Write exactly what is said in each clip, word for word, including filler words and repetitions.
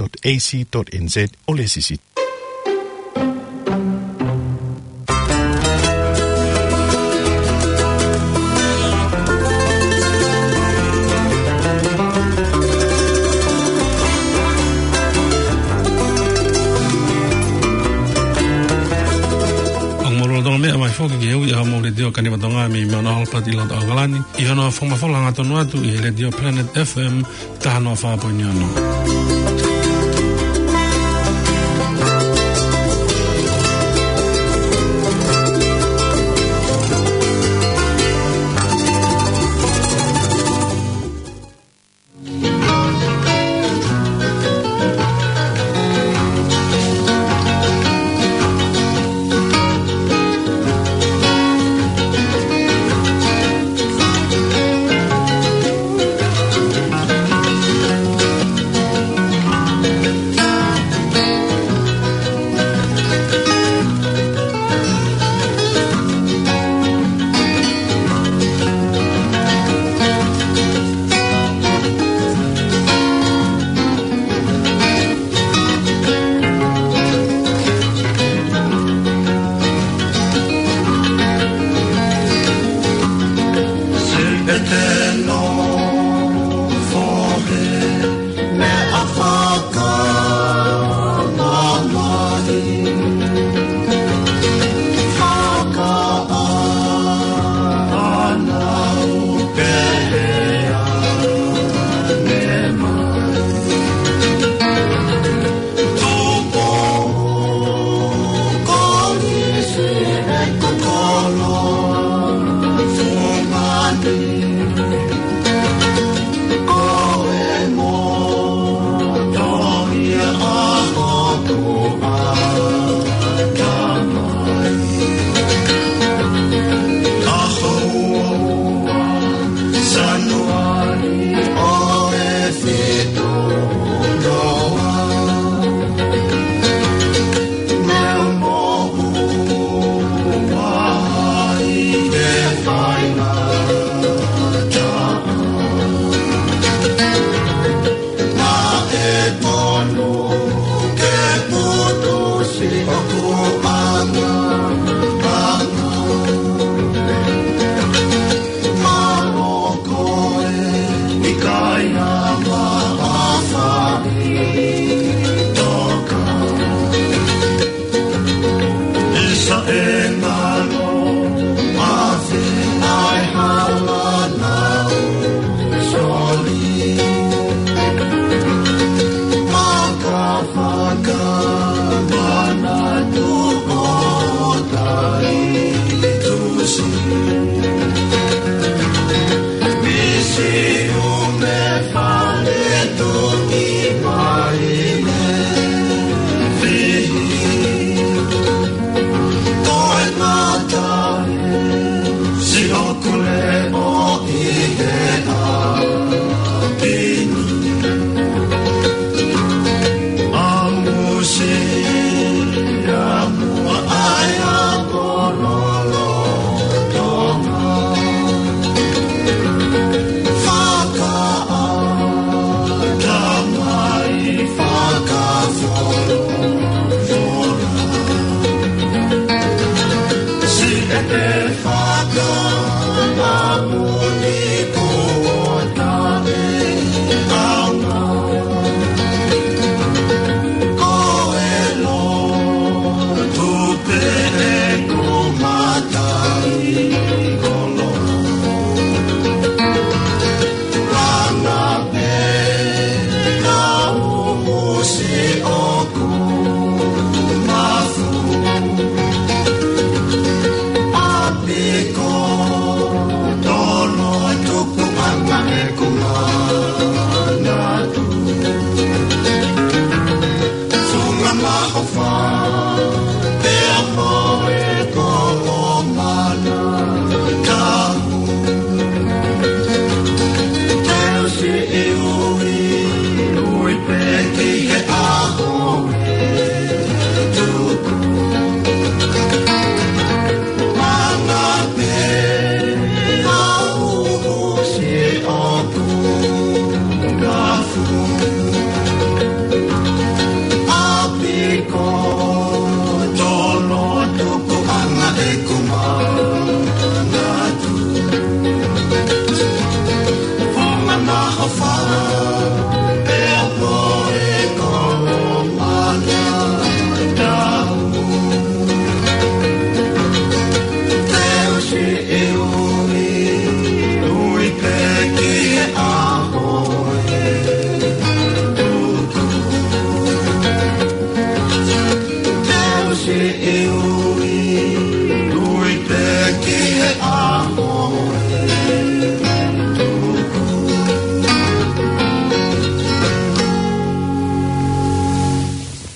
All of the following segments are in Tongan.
dot A C dot N Z, ʻo lēsisita. ʻOku mou lolotonga meʻa mai foki ki he ui ʻa homou letiō Kaniva Tonga mei Mount Albert ʻi loto ʻAokalani, ʻi hono fakamafola hangatonu atu ʻi he letiō Planet F M taha noa fā poini ono.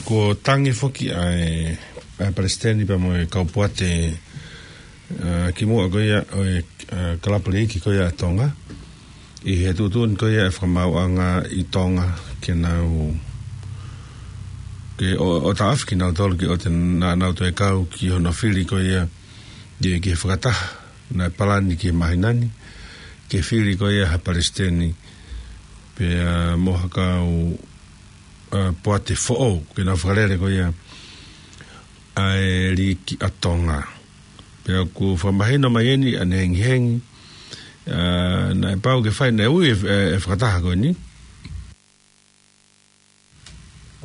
Kuo tangi foki ʻa e, ʻa e palesiteni pea mo e kau poate, ʻa, kimuʻa ko ia ʻo e, ʻa, kalapu liiki ko ia ʻa Tonga. ʻI he tuʻutuʻuni ko ia ʻa e fakamaauʻanga ʻi Tonga ke nau, ke ʻo, ʻo taʻofi kinautolu ke ʻoua te na nau toe kau ki hono fili ko ia ʻi he, ki he fakataha naʻe palani ki he māhina ni, ke fili ko ia ha palesiteni pea mo ha kau, ʻa, poate foʻou, ke nau fakalele ko ia ʻa e liiki ʻa Tonga. Pea ʻoku fakamahino mai eni ʻa ʻene hengihengi, ʻa, naʻe pau ke fai, naʻe ui e, e, e fakataha ko eni.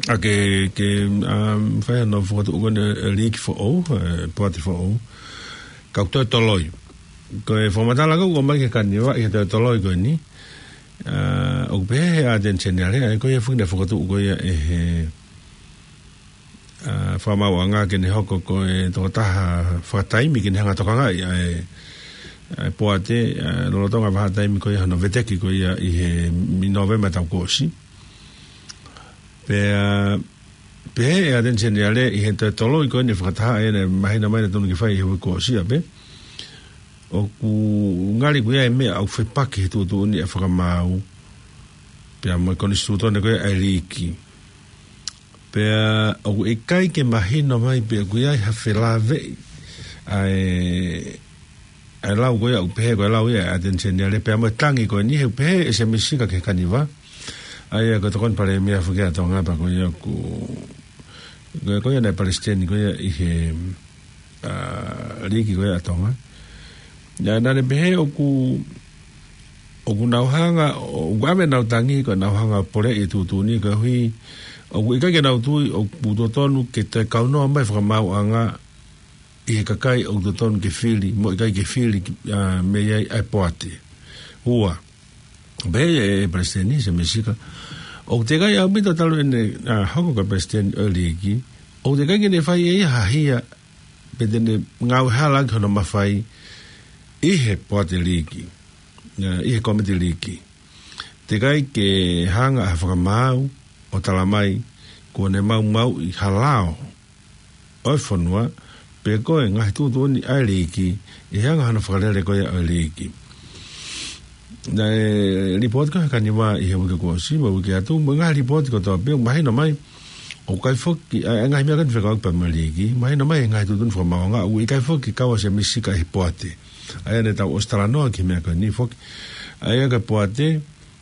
ʻA ke, ke, ʻa, fai hano fokotuʻu ko eni e liiki foʻou, e, poate foʻou. Ka ʻoku toe toloi. Ko e fakamatala ko ē ʻoku ʻomai ki he kaniva ʻi he toe toloi ko eni. ʻA, ʻoku pehē ʻe he ʻAteni Seniale, ʻa ia ko ia foki naʻe fokotuʻu ko ia ʻe he, ʻa, fakamaauʻanga ke ne hoko ko e tokotaha fakataimi ke ne hanga ʻo tokangaʻi ʻa e, ʻa e poate, ʻa, lolotonga vahaʻa taimi ko ia hono veteki ko ia ʻi he, ʻi Nōvema taʻu kuo ʻosi. Pea, pehē ʻe he ʻAteni Seniale ʻi he toe toloi ko eni e fakataha ʻa ia naʻe mahino mai naʻe totonu ke fai ʻi he uike kuo ʻosi ia pē. ʻOku ngali ko ia e meʻa ʻoku fepaki he tuʻutuʻuni ʻa e fakamaau pea mo e konisitūtone ko ia ʻa e liiki. Pea ʻoku ʻikai ke mahino mai pe ʻoku ʻi ai ha felāveʻi ʻa e, ʻa e lau ko ia ʻoku pehē ko e lau ia ʻa e ʻAteni Seniale pea mo e tangi ko eni he ʻoku pehē ʻe Semisi Sika ki he kaniva. ʻA ia ko e tokoni palēmia foki ʻa Tonga pea ko ia ʻoku, ko ia, ko ia naʻe palesiteni ko ia ʻi he, ʻa, liiki ko ia ʻa Tonga. Naʻa, naʻa ne pehē ʻoku, ʻoku nau hanga, ʻoku ʻave ʻenau tangi ko ʻenau hanga ʻo poleʻi e tuʻutuʻuni koeʻuhi ʻoku ʻikai ke nau tui ʻoku totonu ke toe kaunoa mai e fakamaauʻanga ʻi he kakai ʻoku totonu ke fili, mo e ʻikai ke fili, ʻa, mei ai ʻa e poate. Ua, pehē ʻe he palesiteni Semisi Sika, ʻoku teʻeki ai ʻaupito talu ʻene, ʻa, hoko ko e palesiteni ʻo e liiki, ʻoku teʻeki ai ke ne fai ʻe ia ha hia pe te ne ngāue hala ki hono mafai ʻi he poate liiki, ʻa, ʻi he kōmiti liiki. Teʻeki ai ke hanga ʻe he fakamaau ʻo talamai kuo ne maumauʻi ha lao ʻo e fonua, pe ko e ngaahi tuʻutuʻuni ʻa e liiki, ʻi he anga hono fakalele ko ia ʻo e liiki. Naʻe lipooti ko ē ʻe he kaniva ʻi he uike kuo ʻosi, mo e uike atu, mo e ngaahi lipooti kotoa pē, mahino mai ʻoku ʻikai foki, ʻa e, ʻa e ngaahi meʻa ko eni fekauʻaki pea mo e liiki, mahino mai ʻi he ngaahi tuʻutuʻuni fakamaauʻanga ʻoku ʻikai foki kau ʻa Semisi Sika ʻi he poate. ʻA ia naʻa tau ʻosi talanoa ki he meʻa ko eni foki. ʻA ia ko e poate,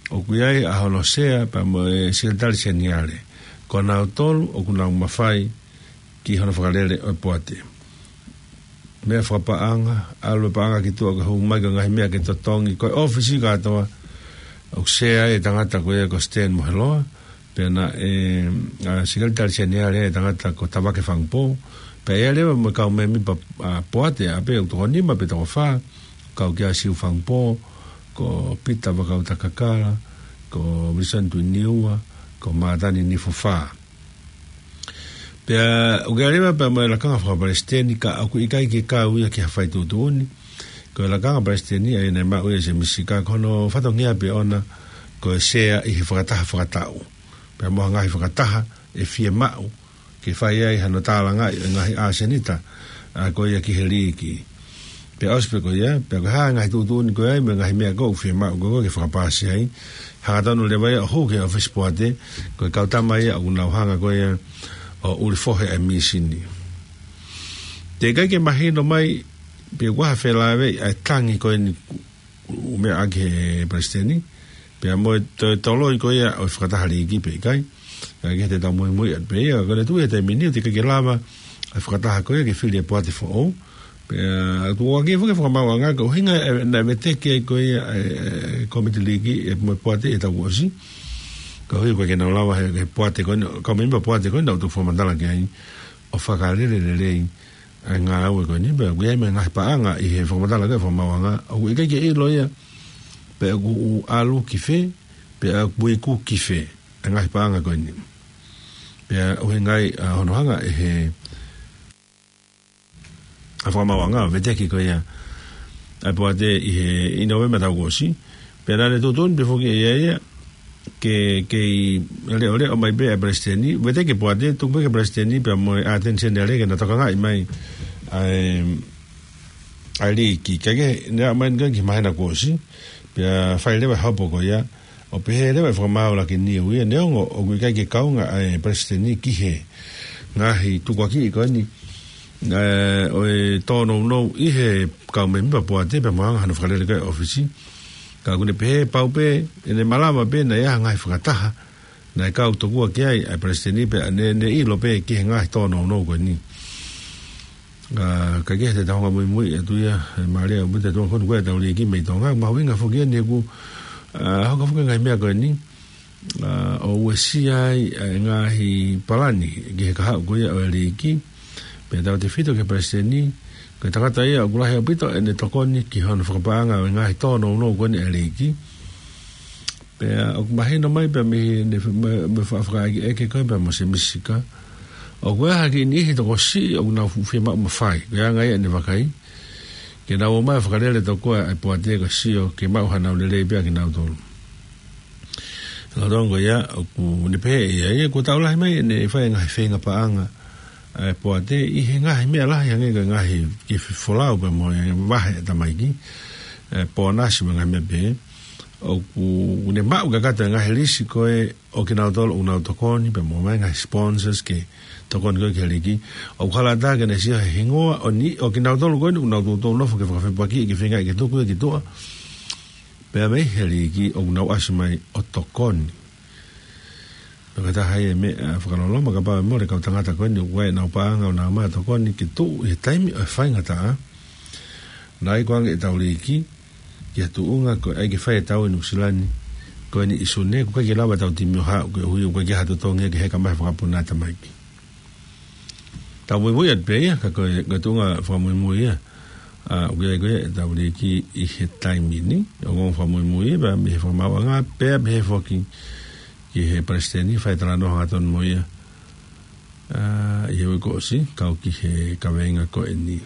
ʻoku ʻi ai ʻa hono sea pea mo e sekelitali seniale. Ko nautolu ʻoku nau mafai ki hono fakalele ʻo e poate. Meʻa fakapaʻanga, ʻalu e paʻanga ki tuʻa ke hū mai ko e ngaahi meʻa ke totongi, ko e ʻōfisi kātoa, ʻoku sea ai e tangata ko ia ko Stan Moheloa, pea naʻe, ʻa, sekelitali seniale e tangata ko Tavake Fangupō, pea ʻi ai leva mo e kau mēmipa, ʻa, poate, ʻa pē ʻoku toko nima pe toko fā, kau kia Siu Fangupō, ko Pita Vakautakakala, ko Wilson Tuiniua, ko Mātani Nifufā. Pea ʻoku ʻi ai leva pea mo e lakanga fakapalesiteni ka ʻoku ʻikai ke kau ia ki ha fai tuʻutuʻuni. Ko e lakanga palesiteni ʻa ia naʻe maʻu ʻe Semisi Sika ko hono fatongia pē ʻona ko e sea ʻi he fakataha fakataʻu. Pea mo ha ngaahi fakataha ʻe fiemaʻu ke fai ai hano tālangaʻi e ngaahi ʻasenita, ʻa, ko ia ki he liiki. Pea ʻosi pē ko ia, pea ko e hā e ngaahi tuʻutuʻuni ko ia, mo e ngaahi meʻa ko ē ʻoku fiemaʻu ko ē ke fakapaasi ai. Hangatonu leva ia ʻo hū ki he ʻōfisi poate, ko e kau tama ia ʻoku nau hanga ko ia ʻo ʻuli fohe ʻa e mīsini. Teʻeki ai ke mahino mai pe ʻoku ʻi ai ha felāveʻi ʻa e tangi ko eni ʻoku meʻa ʻaki ʻe he palesiteni, pea mo e toe toloi ko ia ʻo e fakataha liiki pe ʻikai. Ka ke te tau muimui atu pē ia, ko e tuʻu he taimi ni ʻoku teʻeki ai ke lava ʻa e fakataha ko ia ke fili e poate foʻou. Pea tuʻu ʻaki foki e fakamaauʻanga ko e ʻuhinga e, naʻe veteki ai ko ia e, e, kōmiti liiki ʻa e mo e poate ʻi he taʻu kuo ʻosi. Koeʻuhi ʻoku ʻikai ke nau lava he, he poate ko eni, kau mēmipa poate ko eni naʻa nau toki fakamatala ki ai ʻo fakalele lelei ʻa e ngāue ko eni, pea ʻoku ʻi ai mo e ngaahi paʻanga ʻi he fakamatala ko ē ʻa e fakamaauʻanga, ʻoku ʻikai ke ʻilo ia pe ʻoku ʻalu ki fē, pe ʻoku iku ki fē, ʻa e ngaahi paʻanga ko eni. Pea ʻuhinga ia ʻa hono hanga ʻe he, ʻa e fakamaauʻanga ʻo veteki ko ia ʻa e poate ʻi he, ʻi Nōvema taʻu kuo ʻosi, pea naʻa ne tuʻutuʻuni pē foki ʻe ia ia, ke, ke leʻoleʻo mai pē ʻa e palesiteni, vete ke Poate, tuku pē ki he palesiteni pea mo e ʻAteni Seniale ke na tokangaʻi mai ʻa e, ʻa e liiki. Kae kehe, ne aʻu mai eni ki he māhina kuo ʻosi, pea fai leva e hopo ko ia, ʻo pehē leva e fakamaau laki niu ia, neongo ʻoku ʻikai ke kaunga ʻa e palesiteni ki he ngaahi tukuakiʻi ko eni, ē, ʻo e tōnounou ʻi he kau mēmipa Poate pea mo e anga hono fakalele ko ē ʻa e ʻōfisi. Ka ʻoku ne pehē pau pē, ʻene malava pē naʻe ʻi ai ha ngaahi fakataha naʻe kau tokua ki ai ʻa e palesiteni pea ne, ne ʻilo pē ki he ngaahi tōnounou ko eni. Ā, kae kehe, te tau hanga ʻo muimui atu ia, ē, mālie ʻaupito e tuʻunga ko eni ko ē ʻetau liiki mei Tonga, mahuʻinga foki eni he ʻoku, ā, hoko foki e ngaahi meʻa ko eni, ā, ʻo uesia ai e ngaahi palani ki he kahaʻu ko ia ʻo e liiki. Pea tautefito ki he palesiteni, ko e tangata ia ʻoku lahi ʻaupito ʻene tokoni ki hono fakapaʻanga ʻo e ngaahi tōnounou ko eni ʻa e liiki. Pea ʻoku mahino mai pea mei heʻene, mei, mei he faʻa fakaʻekeʻeke ko ē pea mo Semisi Sika, ʻoku ʻi ai ha kiʻi niʻihi tokosiʻi ʻoku nau fuʻu fiemaʻu mafai, ko e anga ia ʻene vakai, ke nau ō mai ʻo fakalele tokua ʻa e Poate kae sio ke maʻu hanau lelei pē ʻa kinautolu. Lolotonga ia, ʻoku ne pehē ʻe ia, ia kuo taʻu lahi mai ʻene fai e ngaahi feinga paʻanga ʻa e Poate ʻi he ngaahi meʻa lahi hangē ko e ngaahi kiʻi folau pea mo e vahe ʻa e tamaiki, ē, ponasi mo e ngaahi meʻa pehē. ʻOku ne maʻu kakato e ngaahi lisi ko ē ʻo kinautolu ʻoku nau tokoni pea mo e ngaahi sponsors ke tokoni ko ē ki he liiki. ʻOku hala atu ke ne sio he hingoa ʻo ni, ʻo kinautolu ko eni ʻoku nau toutou nofo ke fakafepakiʻi ke feingaʻi ke tuku ia ki tuʻa, pea mei he liiki ʻoku nau ʻasi mai ʻo tokoni. Pea ko e taha ia e meʻa fakaloloma, kapau ʻe mole e kau tangata ko eni ʻoku ʻi ai ʻenau paʻanga ʻo nau ō mai ʻo tokoni ke tuʻu ʻi he taimi ʻo e faingataʻa, naʻe ʻikai ko ē ange ʻetau liiki ki ha tuʻunga ko e ʻai ke fai e tau ʻi Nuʻusila ni ko eni ʻi Sune, ʻoku ʻikai ke lava ʻetau timi ʻo haʻu koeʻuhi ʻoku ʻikai ke ʻi ai ha totongi ke heka mai fakapuna e tamaiki. Tau muimui atu pē ia, ka ko e, ko e tuʻunga fakamuimui ia. Ā, ʻoku ʻi ai ko ē ʻetau liiki ʻi he taimi ni, ʻoku ou fakamuimui ia, pea mei he fakamaauʻanga, pea mei he foki ki he palesiteni, fai talanoa hangatonu mo ia. Ā, ʻi he uike kuo ʻosi, kau ki he kaveinga ko eni.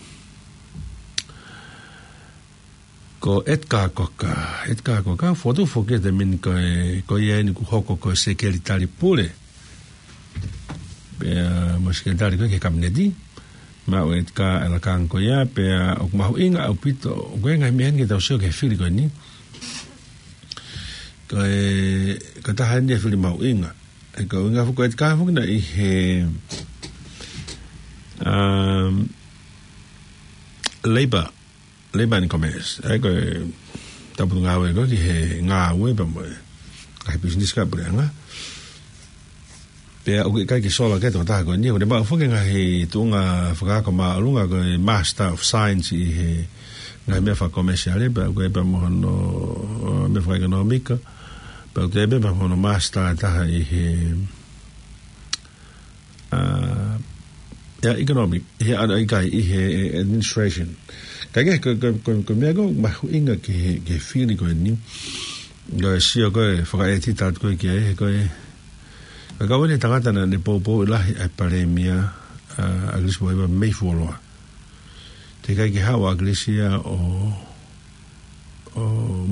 Ko Edgar Cocker, Edgar Cocker, fotu foki e taimi ni ko e, ko ia eni kuo hoko ko e sekelitali pule. Pea mo e sekelitali ko ē ki he kapineti. Maʻu ʻe Edgar e lakanga ko ia, pea ʻoku mahuʻinga ʻaupito, ʻoku ʻi ai e ngaahi meʻa eni ke tau sio ki he fili ko eni. Ko e, ko e taha eni e fili mahuʻinga. ʻE ko e ʻuhinga foki ko Edgar foki naʻe ʻi he, um, Labour, Labour and Commerce. ʻA ia ko e tau potungāue ko ē ki he ngāue pea mo e ngaahi pisinisi kae puleʻanga. Pea ʻoku ʻikai ke sola ki ai e tokotaha ko eni, ʻoku ne maʻu foki e ngaahi tuʻunga fakaako māʻolunga ko e Master of Science ʻi he ngaahi meʻa fakakomesiale, pea ʻoku ʻi ai pē mo hono, ā, meʻa fakaʻekonōmika, pea ʻoku ʻi ai pē mo hono Master ʻe taha ʻi he, ā, ʻi he economic, ʻi he, ʻa, ʻikai, ʻi he administration. Kae kehe, ko, ko, ko, ko e meʻa ko ē mahuʻinga ki he, ki he fili ko eni, ko e sio ko ē fakaʻētita atu ko ē ki ai, he ko e, ko e kau eni e tangata naʻa ne poupou lahi ʻa e palēmia, ā, ʻAkilisi Maiva mei fuoloa. Teʻeki ai ke haʻu ʻa ʻAkilisi ia ʻo, ʻo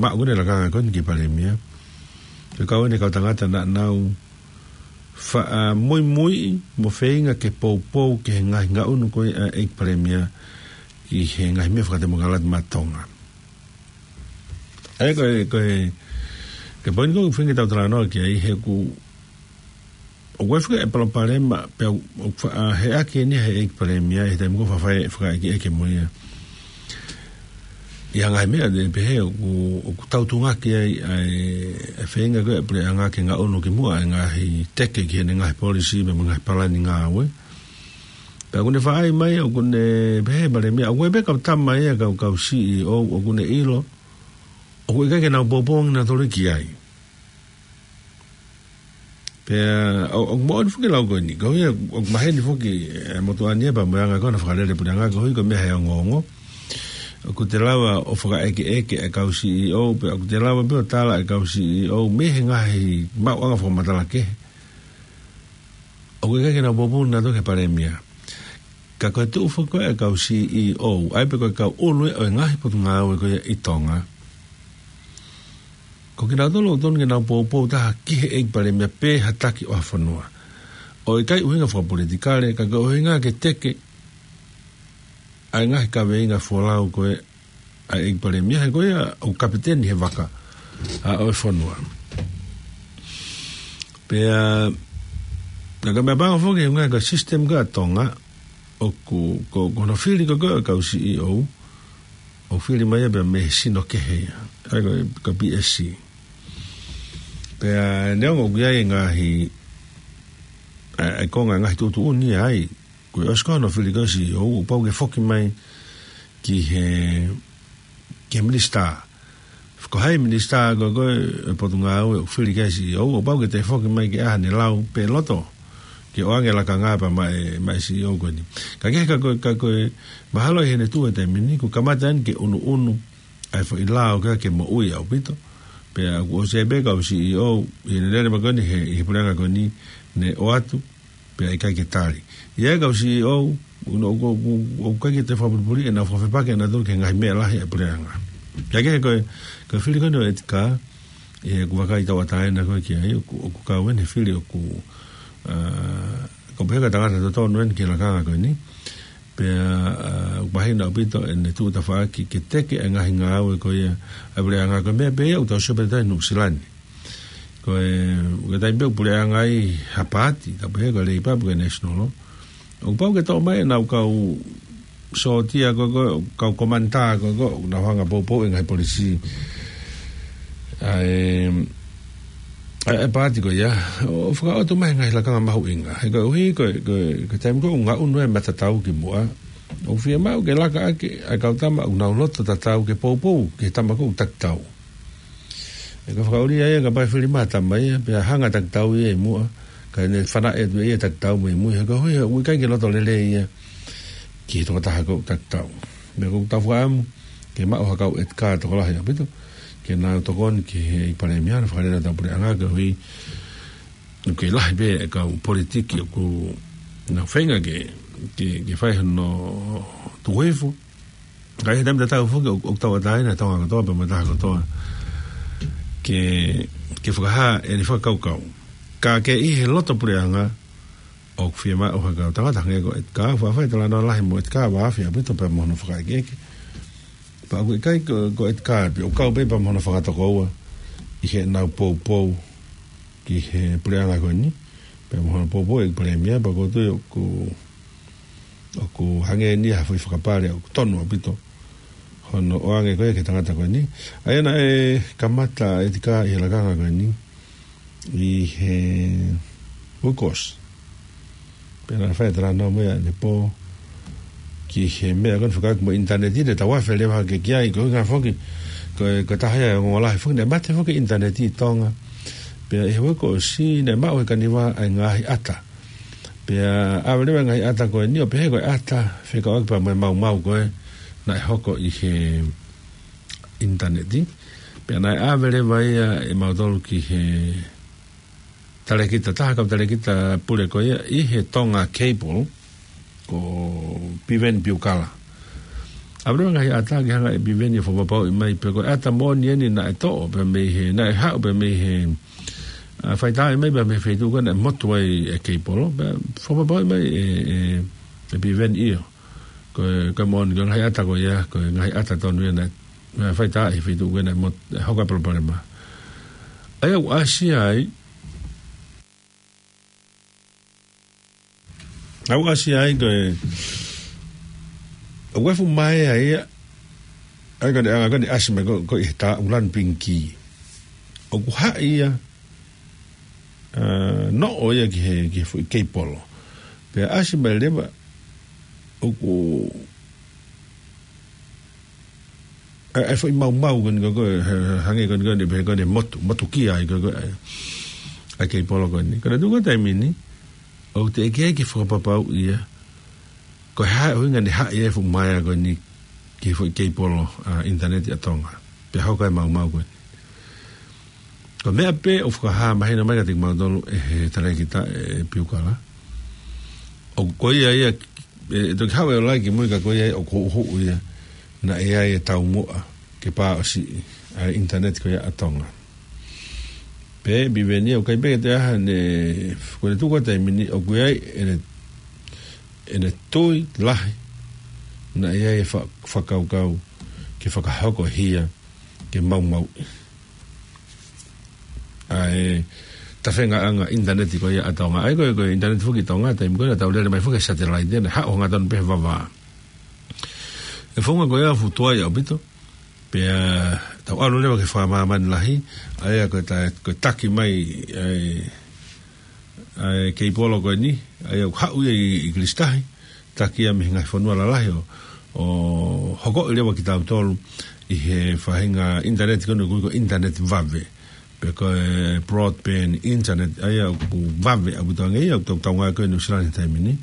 maʻu ko eni e lakanga ko eni ki he palēmia. Ko e kau eni e kau tangata naʻa nau faʻa muimui mo feinga ke poupou ki he ngaahi ngaʻunu ko ē ʻa e ʻEiki Palēmia ʻi he ngaahi meʻa fakatemokalati maʻa Tonga. ʻA ia ko e, ko e, ko e poini ko ē ʻoku feinga ke tau talanoa ki ai he ʻoku, ʻoku ʻi ai foki e palopalema, pea ʻoku, ʻoku faʻa heʻaki eni ʻe he ʻEiki Palēmia he taimi ko ē ʻoku faʻa fai e fakaʻekeʻeke mo ia. ʻI he ngaahi meʻa te ne pehē ʻoku, ʻoku tautuʻunga ki ai ʻa e, e feinga ko ē ʻa e puleʻanga ke ngaʻunu ki muʻa e ngaahi teke ki heʻene ngaahi polisī mo e ngaahi palani ngāue. Pea ʻoku ne faʻa ʻai mai, ʻoku ne pehē e palēmia, ʻoku ʻi ai pē kau tama ia, kau, kau C E O, ʻoku ne ʻilo ʻoku ʻikai ke nau poupou ange nautolu ki ai. Pea ʻo, ʻoku moʻoni foki e lau ko eni, koeʻuhi ʻoku maheni foki e motuʻa ni ia pea mo e anga ko ē hono fakalele e puleʻanga, koeʻuhi ko e meʻa he ongoongo. ʻOku te lava ʻo fakaʻekeʻeke e kau C E O, pea ʻoku te lava pē ʻo tala e kau C E O mei he ngaahi maʻuʻanga fakamatala kehe ʻoku ʻikai ke nau poupou nautolu ki he palēmia. Ka ko e tuʻu foki ko ē e kau C E O, ʻa ia pē ko e kau ʻulu ʻo e ngaahi potungāue ko ia ʻi Tonga, ʻOku nau tonu, tonu ke nau poupou taha ki he ʻEiki Palēmia pe ha taki ʻo ha fonua. ʻOku ʻikai ʻuhinga fakapolitikale, ka ko e ʻuhinga ke teke ʻa e ngaahi kaveinga folau ko ē ʻa e ʻEiki Palēmia, he ko ia ʻoku kapiteni he vaka ʻa ʻo e fonua. Pea, ka ka meʻapango foki he ngaahi ka system ka Tonga, ʻoku, ko, ko hono fili ko ē ʻa e kau C E O, ʻoku fili mai ia pea mei he sino kehe ia. ʻA ia ko e, ko e P S C. Pea neongo ʻoku ʻi ai e ngaahi, ʻa e, ʻa e konga ngaahi tuʻutuʻuni ai, ko e ʻosi ko hono fili ko ē C E O, ʻoku pau ke foki mai ki he, ki he minisitā. Ko hai minisitā ko ē ʻo e Potungāue ʻoku fili ki ai C E O, ʻoku pau ke toe foki mai ke ʻai haʻane lau pe loto ke ʻoange lakanga pea maʻa e, maʻa e C E O ko eni. Ka kehe ka ko e, ka ko e mahalo ʻi heʻene tuʻu he taimi ni, ʻoku kamata eni ke ʻunuʻunu ʻa e foʻi lao ko ē ke moʻui ʻaupito. Pea ʻoku ʻosi pē kau C E O, ʻi heʻene lele mai ko eni he, he puleʻanga ko eni, ne ʻoatu, pea ʻikai ke tali. ʻI ai e kau C E O, ʻoku, ʻoku, ʻoku, ʻoku ʻikai ke toe fakapulipuli ʻenau fakafepaki ʻenau tonu ki he ngaahi meʻa lahi ʻa e puleʻanga. Ka kehe ko e, ko e fili ko eni ʻo ʻEtika, ʻoku vakai tauʻatāina ko ē ki ai, ʻoku, ʻoku kau eni he fili ʻoku, ʻa, ʻoku pehē ko e tangata totonu eni ki he lakanga ko eni. Pea, ʻa, ʻoku mahino ʻaupito ʻene tuʻu tafaʻaki ke teke e ngaahi ngāue ko ia ʻa e puleʻanga ko e meʻa pē ia ʻoku tau sio pē ʻi Nuʻusila ni. Ko e, ko e taimi pē ʻoku puleʻanga ai ha paati, ka pehē ko e Leipa pe ko e National, ʻoku pau ke toʻo mai ʻenau kau sōtia ko ē, ko e kau komanitā ko ē, ʻoku nau hanga ʻo poupou e ngaahi polisī ʻa e, ʻa e paati ko ia, ʻo fakaʻoatu mai e ngaahi lakanga mahuʻinga. He koeʻuhi ko e, ko e, ko e taimi ko ē ʻoku ngaʻunu e matatau ki muʻa, ʻoku fiemaʻu ke laka ʻaki ʻa e kau tama ʻoku nau loto tatau ke poupou ki he tama ko ē ʻoku takitau. ʻE ka fakaʻuli ai, ka pai fili mai tama ia, pea hanga takitau ia ʻi muʻa, ka ne fanaʻi atu ia takitau mai mui, he koeʻuhi ʻoku ʻikai ke loto lelei ia ki he tokotaha ko ē ʻoku takitau. Meʻa ʻoku tau fakaʻamu ke maʻu ha kau ʻEtika tokolahi ʻaupito, ke nau tokoni ki he ʻEiki Palēmia, ʻo fakalele ʻetau puleʻanga, koeʻuhi ʻoku kei lahi pē e kau politiki ʻoku nau feinga ke, ke, ke fai hono tuku hifo. Ka ʻi he taimi tatau foki ʻoku, ʻoku tauʻatāina Tonga kotoa pea mo e taha kotoa ke, ke fakahā ʻene fakakaukau. Ka ke ʻi he loto puleʻanga ʻoku fiemaʻu ha kau tangata hangē ko ʻEtika, ʻoku faʻa fai talanoa lahi mo ʻEtika, ʻoku afe ʻaupito pea mo hono fakaʻekeʻeke. Pea ʻoku ʻikai ko, ko ʻEtika pē, ʻoku kau pē pea mo hono fakatokoua ʻi heʻenau poupou ki he puleʻanga ko eni, pea mo hono poupou ʻEiki Palēmia, pea ʻoku ou tui ʻoku, ʻoku hangē ni ha foʻi fakapale ʻoku tonu ʻaupito hono ʻoange ko ē ki he tangata ko eni. ʻA ia naʻe kamata ʻEtika ʻi he lakanga ko eni ʻi he uike kuo ʻosi. Pea naʻe fai e talanoa mo ia ʻanepō ki he meʻa ko eni fekauʻaki mo e ʻinitaneti, naʻe tau afe leva hake ki ai, ko e ʻuhinga foki, ko e, ko e taha ia e ongoongo lahi foki, naʻe mate foki e ʻinitaneti ʻi Tonga. Pea ʻi he uike kuo ʻosi, naʻe maʻu ʻe he kaniva ʻa e ngaahi ʻata. Pea ʻave leva e ngaahi ʻata ko eni ʻo pehē ko e ʻata fekauʻaki pea mo e maumau ko ē naʻe hoko ʻi he ʻinitaneti. Pea naʻe ʻave leva ia ʻe mautolu ki he talēkita, taha kau talēkita pule ko ia ʻi he Tonga Cable, ko Piveni Piukala. ʻAve leva e ngaahi ʻata ke hanga ʻe Piveni ʻo fakapapauʻi mai pe ko e ʻata moʻoni eni naʻe toʻo pē mei he, naʻe haʻu pē mei he, ʻa, faitāʻi mai pē mei he feituʻu ko ē naʻe motu ai e keipolo, pea fakapapauʻi mai ʻe, ʻe, ʻe Piveni ʻio. Ko e, ko e moʻoni, ko e ngaahi ʻata ko ia, ko e ngaahi ʻata tonu ia naʻe, naʻe faitāʻi he feituʻu ko ē naʻe mot-, naʻe hoko ai e palopalema. ʻA ia ʻoku ʻasi ai, ʻoku ʻasi ai ko e, ʻoku ʻi ai e fuʻu maea ia, ʻa ia ko e anga ko ē naʻe ʻasi mai ko, ko ē ʻi he taʻu lanu pingikī. ʻOku haʻi ia, ʻa, noʻo ia ki he, ki he foʻi keipolo. Pea ʻasi mai leva, ʻoku, ʻa, ʻa e foʻi maumau ko eni ko, ko, he, he, hangē ko eni ko eni, pehē ko eni motu, motukia ai ko, ko, ʻa, ʻa e keipolo ko eni. Ka naʻe tuʻu ko e taimi ni, ʻoku teʻeki ai ke fakapapauʻi ia, ko e hā e ʻuhinga naʻe haʻi ai e fuʻu maea ko eni ki he foʻi keipolo, ʻa, ʻinitaneti ʻa Tonga. Pea hoko ai e maumau ko eni. Ko e meʻa pē ʻoku fakahā mahino mai kiate kimautolu ʻe he talēkita ʻe Piukala. ʻOku ko ia ia, ʻe, ʻe toki haʻu e ola ki mui ka ko ia ia ʻoku huʻuhuʻu ia naʻe ʻi ai e taumuʻa ke pāʻosiʻi ʻa e ʻinitaneti ko ia ʻa Tonga. Pea Piveni, ʻoku ʻikai pē ke toe ʻi ai haʻane, ko ʻene tuʻu ko ē taimi ni, ʻoku ʻi ai ʻene, ʻene tui lahi naʻe ʻi ai e fa-, fakakaukau ke fakahoko hia ke maumauʻi ʻa e tafeʻanga ʻinitaneti ko ia ʻa Tonga. ʻA ia ko e, ko e ʻinitaneti foki ʻi Tonga, taimi ko ē naʻa tau lele mai foki e satelaite, naʻe haʻu hangatonu pē he vavā. ʻE founga ko ia ʻoku tuai ʻaupito, pea tau ʻalu leva ki he fakamāmani lahi, ʻa ia ko e ta-, ko e taki mai ʻa e, ʻa e keipolo ko eni, ʻa ia ʻoku haʻu ia ʻi, ʻi Kilisi Tahi, taki ia mei he ngaahi fonua lalahi ʻo, ʻo hokoʻi leva kitautolu ʻi he faʻahinga ʻinitaneti ko eni ʻoku ui ko e ʻinitaneti vave, pe ko e broadband internet, ʻa ia ʻoku vave ʻaupito ange ia, ʻoku tau, tau ngāue ko ē ʻi Nuʻu Sila he taimi ni.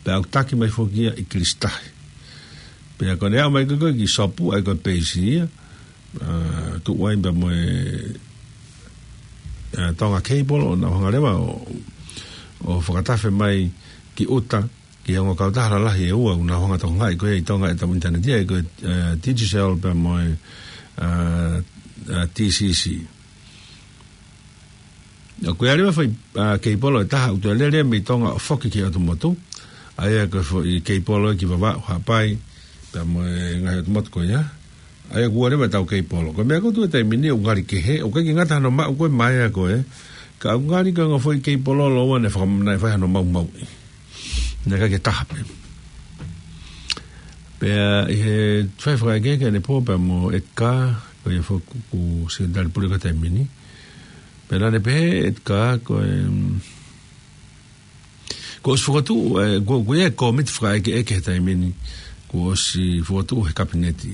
Pea ʻoku taki mai foki ia ʻi Kilisi Tahi. Pea ko ʻene aʻu mai ko ē ki Sopu, ʻa ia ko e peisi ia, ʻa, tuʻu ai pea mo e, ʻa, Tonga Cable, ʻo nau hanga leva ʻo, ʻo fakatafe mai ki ʻuta, ki he ongo kautaha lalahi ʻe ua, ʻoku nau hanga tokangaʻi ko ē ʻi Tonga ʻetau ʻinitaneti, ʻa ia ko e, ʻa, Digicel pea mo e, ʻa, ʻa, T C C. ʻOku ʻi ai leva e foʻi, ʻa, keipolo ʻe taha ʻoku toe lele mei Tonga ʻo foki ki he ʻotu motu. ʻA ia ko e foʻi keipolo ia ki Vavaʻu, Haʻapai, pea mo e ngaahi ʻotu motu ko ia. ʻA ia ʻoku ua leva ʻetau keipolo. Ko e meʻa ʻoku tuʻu he taimi ni ʻoku ngali kehe, ʻoku ʻikai ke ngata hano maʻu ko ē mai ʻa ko ē, ka ʻoku ngali ko e ongo foʻi keipolo lōua naʻe faka-, naʻe fai hano maumauʻi. Naʻe ʻikai ke taha pē. Pea ʻi he fai fakaʻekeʻeke ʻanepō pea mo Edgar, ko ia foki ko e Sekelitali Pule ko ē he taimi ni. Pea naʻa ne pehē ʻe Edgar ko e, kuo ʻosi fokotuʻu, ʻe, ko, ko ia e kōmiti fakaʻekeʻeke he taimi ni, kuo ʻosi fokotuʻu he kapineti.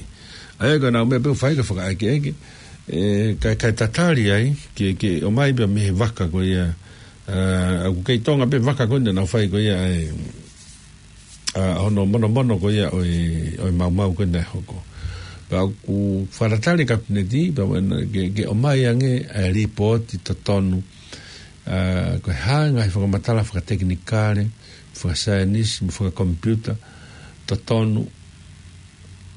ʻA ia ko ʻenau meʻa pē ʻoku fai ko e fakaʻekeʻeke, ʻe, kae, kae tatali ai, ke, ke ʻomai pea mei he vaka ko ia, ʻa, ʻoku kei Tonga pē vaka ko ē naʻa nau fai ko ia, ʻa e, ʻa, hono monomono ko ia ʻo e, ʻo e maumau ko ē naʻe hoko. Pea ʻoku fakatatali e kapineti, pea ʻoku ʻi ai, ke, ke ʻomai ange ʻa e lipooti totonu, ʻa, ko e hā e ngaahi fakamatala fakatekinikale, fakasaienisi, mo fakakomipiuta, totonu,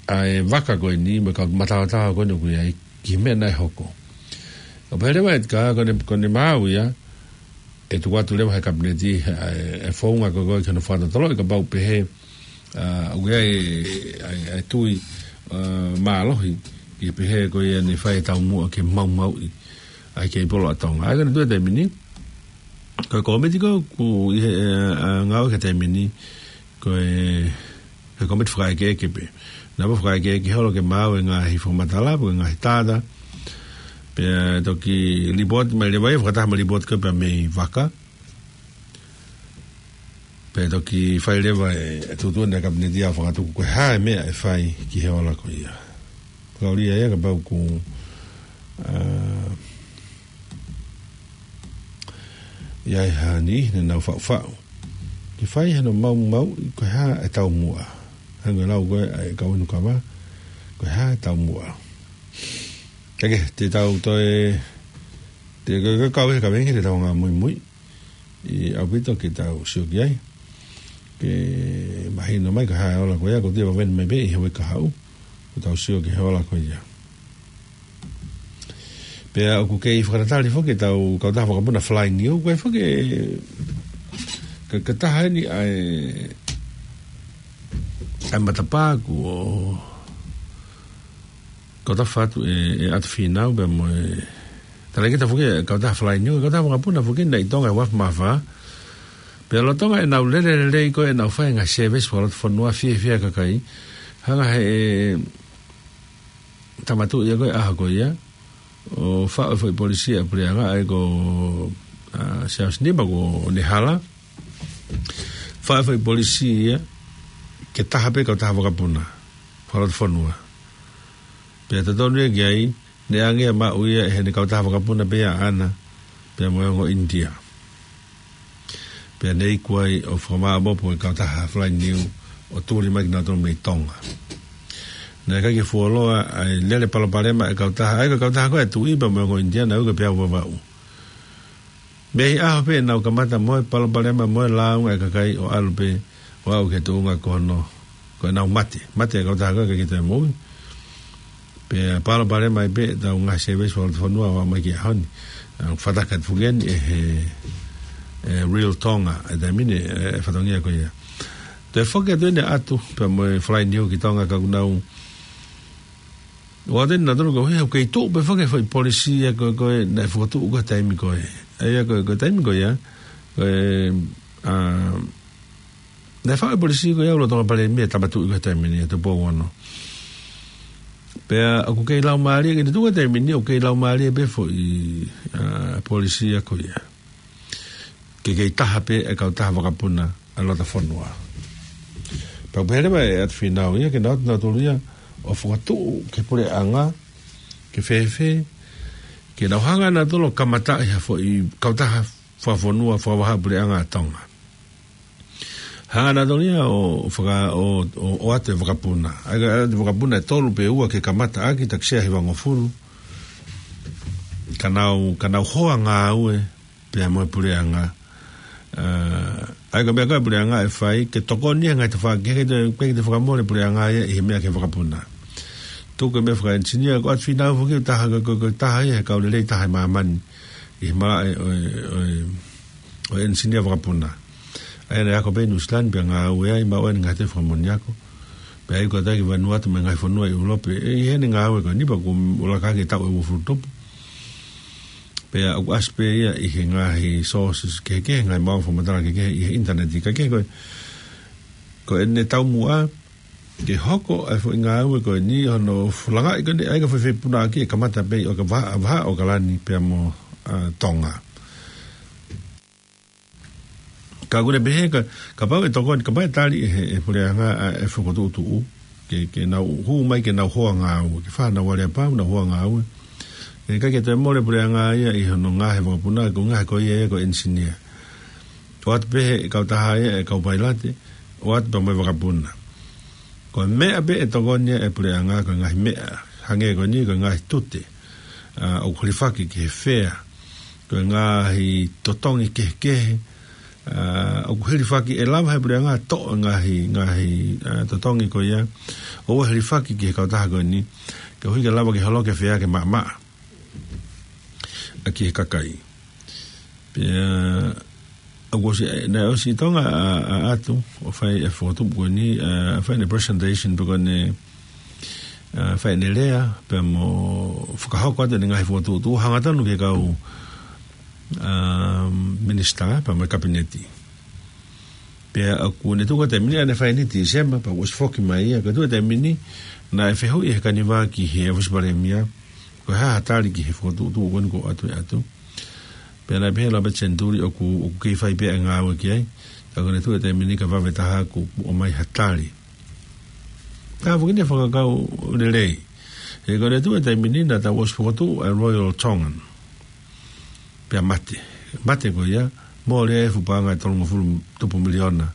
ʻa e vaka ko eni, mo e kau mataotao ko eni ʻoku ʻi ai, ki he meʻa naʻe hoko. ʻOku pehē leva ʻe Edgar, ko ʻene, ko ʻene maau ia, ʻe tuku atu leva he kapineti, ʻa e, ʻa e founga ko ē ko ē ki hono fakatotoloʻi kapau pehē, ʻa, ʻoku ʻi ai, ʻa e, ʻa e tui, ʻa, mālohi, ki he pehē ko ia naʻe fai e taumuʻa ke maumauʻi ʻa e keipolo ʻa Tonga. ʻA ia ko ʻene tuʻu he taimi ni, ko e kōmiti ko ē ʻoku ʻi he, ʻa, ʻa, ngāue ki he taimi ni, ko e, ko e kōmiti fakaʻekeʻeke pē. Naʻa nau fakaʻekeʻeke holo ke maau e ngaahi fakamatala, pe ko e ngaahi tātā. Pea toki lipooti mai leva ia, fakataha mo e lipooti ko ē pea mei vaka. Pea toki fai leva e, e tuʻutuʻuni ʻa e kapineti ʻo fakatuku ko e hā e meʻa ʻe fai ki he ola ko ia. Fakaulia ia kapau ʻoku, ʻa, ʻi ai ha niʻihi naʻa nau faʻufaʻu ke fai hano maumauʻi ko e hā e taumuʻa. Hangē ko e lau ko ē ʻa e kau inu kava, ko e hā e taumuʻa. Kae kehe, te tau toe, te ke, ke kau he kaveinga te tau hanga ʻo muimui ʻi ʻaupito ke tau sio ki ai. Ke mahino mai ko e hā e ola ko ia, ko e toe vaveni mai pē ʻi he uike kahaʻu, ko ʻetau sio ki he ola ko ia. Pea ʻoku kei fakatatali foki ʻetau kautaha vakapuna Fly New, ko e foki e, ka, ka taha eni ʻa e, ʻa e matapā kuo, ko e tafa atu ʻe, ʻe ʻAtu Fīnau pea mo e, talangita foki e kautaha Fly New, kautaha vakapuna foki naʻe ʻi Tonga he uaafe mā fā. Pea lolotonga ʻenau lele lelei ko ē ʻenau fai e ngaahi service fakalotofonua fiefia e kakai. Hanga he, ʻe, tama tuʻi ia ko ē ʻaho ko ia, ʻo faʻu e foʻi polisi ʻa e puleʻanga ʻa ia ko, ʻa, Siaosi Nima ko ʻEne Hala. Faʻu e foʻi polisi ia ke taha pē kautaha vakapuna fakalotofonua. Pea totonu ia ki ai, naʻe ʻange ia ʻo maʻu ia ʻe heʻene kautaha vakapuna pē ia ʻaʻana, pea mo e ongo ʻInitia. Pea ne iku ai ʻo fakamāʻopoʻopo e kautaha Fly New ʻo tuli mai kinautolu mei Tonga. Naʻe ʻikai ke fuoloa ʻa e lele palopalema e kautaha, ʻa ia ko e kautaha ko ē ʻa e tuʻi pea mo e ongo ʻInitia naʻe ui ko e Peau Vavaʻu. Mei he ʻaho pē ʻenau kamata mo e palopalema mo e lāunga e kakai ʻo ʻalu pē ʻo aʻu ki he tuʻunga ko hono, ko ʻenau mate. Mate e kautaha ko ē, ʻikai ke toe moʻui. Pea palopalema ai pē ʻetau ngaahi service fakalotofonua ʻo aʻu mai ki he ʻaho ni. ʻA, fakataka atu foki eni ʻe he, ʻe Real Tonga, ʻa e taimi ni, ʻe, ʻa e fatongia ko ia. Toe foki atu eni ʻa ʻAtu, pea mo e Fly Niu ki Tonga ka ʻoku nau ʻoatu eni nautolu ko e ʻuhi, ʻoku kei tuʻu pē foki e foʻi polisī ia ko ē, ko ē naʻe fokotuʻu ko ē he taimi ko ē. ʻA ia ko e, ko e taimi ko ia, ko e, ʻa, naʻe faʻu e polisī ko ia ʻa e lolotonga palēmia ʻa Tupou Ono. Pea ʻoku kei laumālie, ke ne tuʻu he taimi ni, ʻoku kei laumālie pē foʻi, ʻa, polisī ia ko ia. Ke kei taha pē e kautaha vakapuna ʻa e loto fonua. Pea ʻoku pehē leva ʻe ʻAtu Fīnau ia, ke nau ō nautolu ia ʻo fokotuʻu ki he puleʻanga, ke fēfē, ke nau hanga nautolu ʻo kamataʻi ha foʻi kautaha fakafonua, fakavahaʻapuleʻanga ʻa Tonga. Hanga nautolu ia ʻo faka-, ʻo, ʻo, ʻoatu e vakapuna. ʻA ia ko e ʻoatu e vakapuna ʻe tolu pe ua ke kamata ʻaki, taʻu ʻe hivangofulu. Ka nau, ka nau hoa ngāue pea mo e puleʻanga. ʻA, ʻa ia ko e meʻa ko ē ʻa e puleʻanga ʻe fai, ke tokoni ia he ngaahi tafaʻaki, ke te, ke te fakamole puleʻanga ia ʻi he meʻa ki he vakapuna. Tuku e meʻa fakaʻenisinia, ko ʻAtu Fīnau foki ʻoku taha, ko, ko, ko e taha ia he kau lelei taha ʻi māmani ʻi he malaʻe ʻo e, ʻo e, ʻo e ʻenisinia vakapuna. ʻA ia naʻe ako pē ʻi Nuʻu Sila ni pea ngāue ai, maʻu ʻene ngaahi toe fakamoʻoni ako. Pea ʻi ai ko ē ʻa e taki Vanuatu mo e ngaahi fonua ʻi ʻIulope, ʻe, ʻi heʻene ngāue ko eni pea kuo laka hake e taʻu ʻe uofulu tupu. Pea ʻoku ʻasi pē ia ʻi he ngaahi sources kehekehe, ngaahi maʻu fakamatala kehekehe ʻi he ʻinitaneti, ka kehe ko e, ko ʻene taumuʻa ke hoko ʻa e foʻi ngāue ko eni, hono fulangaʻi ko eni, ʻa ia ko e foʻi fepunaʻaki ʻe kamata pē ʻi ʻOka-, Vahaʻa, Vahaʻa ʻAokalani pea mo, ʻa, Tonga. Ka ʻoku ne pehē ka, kapau ʻe tokoni, kapau ʻe tali ʻe he, ʻe he puleʻanga ʻa e fokotuʻutuʻu, ke, ke nau hū mai ke nau hoa ngāue, ke fai honau aleapau, nau hoa ngāue. ʻE ʻikai ke toe mole puleʻanga ia ʻi hono ngaohi e vakapuna, ko e ngaohi ko ia ia ko e ʻenisinia. ʻOatu pē he kautaha ia e kau pailate, ʻoatu pē mo e vakapuna. Ko e meʻa pē ʻe tokoni ai e puleʻanga ko e ngaahi meʻa, hangē ko eni ko e ngaahi tute, ʻa, ʻoku hilifaki ki he fea, ko e ngaahi totongi kehekehe, ʻa, ʻoku hilifaki ʻe lava he puleʻanga ʻo toʻo e ngaahi, ngaahi, ʻa, totongi ko ia, ʻoua ʻe hilifaki ki he kautaha ko eni, koeʻuhi ke lava ke holoki e fea ke maʻamaʻa ʻaki e kakai. Pea, ʻoku ʻosi, naʻe ʻosi ʻi Tonga ʻa, ʻa ʻAtu, ʻo fai e fokotuʻu ko eni, ʻa, fai ʻene presentation pe ko ʻene, ʻa, fai ʻene lea, pea mo fakahoko atu ʻene ngaahi fokotuʻutuʻu, hangatonu ki he kau, ʻa, minisitā, pea mo e kapineti. Pea ʻoku ne tuku e taimi ni ʻa ʻene fai eni Tīsema, pea kuo ʻosi foki mai ia, ka tuku e taimi ni, naʻe fehuʻi ʻe he kanivā ki he ʻōfisi palēmia, ko e hā ha tali ki he fokotuʻutuʻu ko eni kuo ʻoatu ʻe ʻAtu. Pea naʻe pehē ʻe Lopeti Senituli ʻoku, ʻoku kei fai pē ʻa e ngāue ki ai. Ka ko ʻene tuku e taimi ni ka vave taha kuo ʻomai ha tali. Ka foki eni e fakakaukau lelei. He ko ʻene tuku e taimi ni naʻa tau ʻosi fokotuʻu ʻa e Royal Tongan. Pea mate. Mate ko ia, mole e fuʻu paʻanga ʻe tolungofulu tupu miliona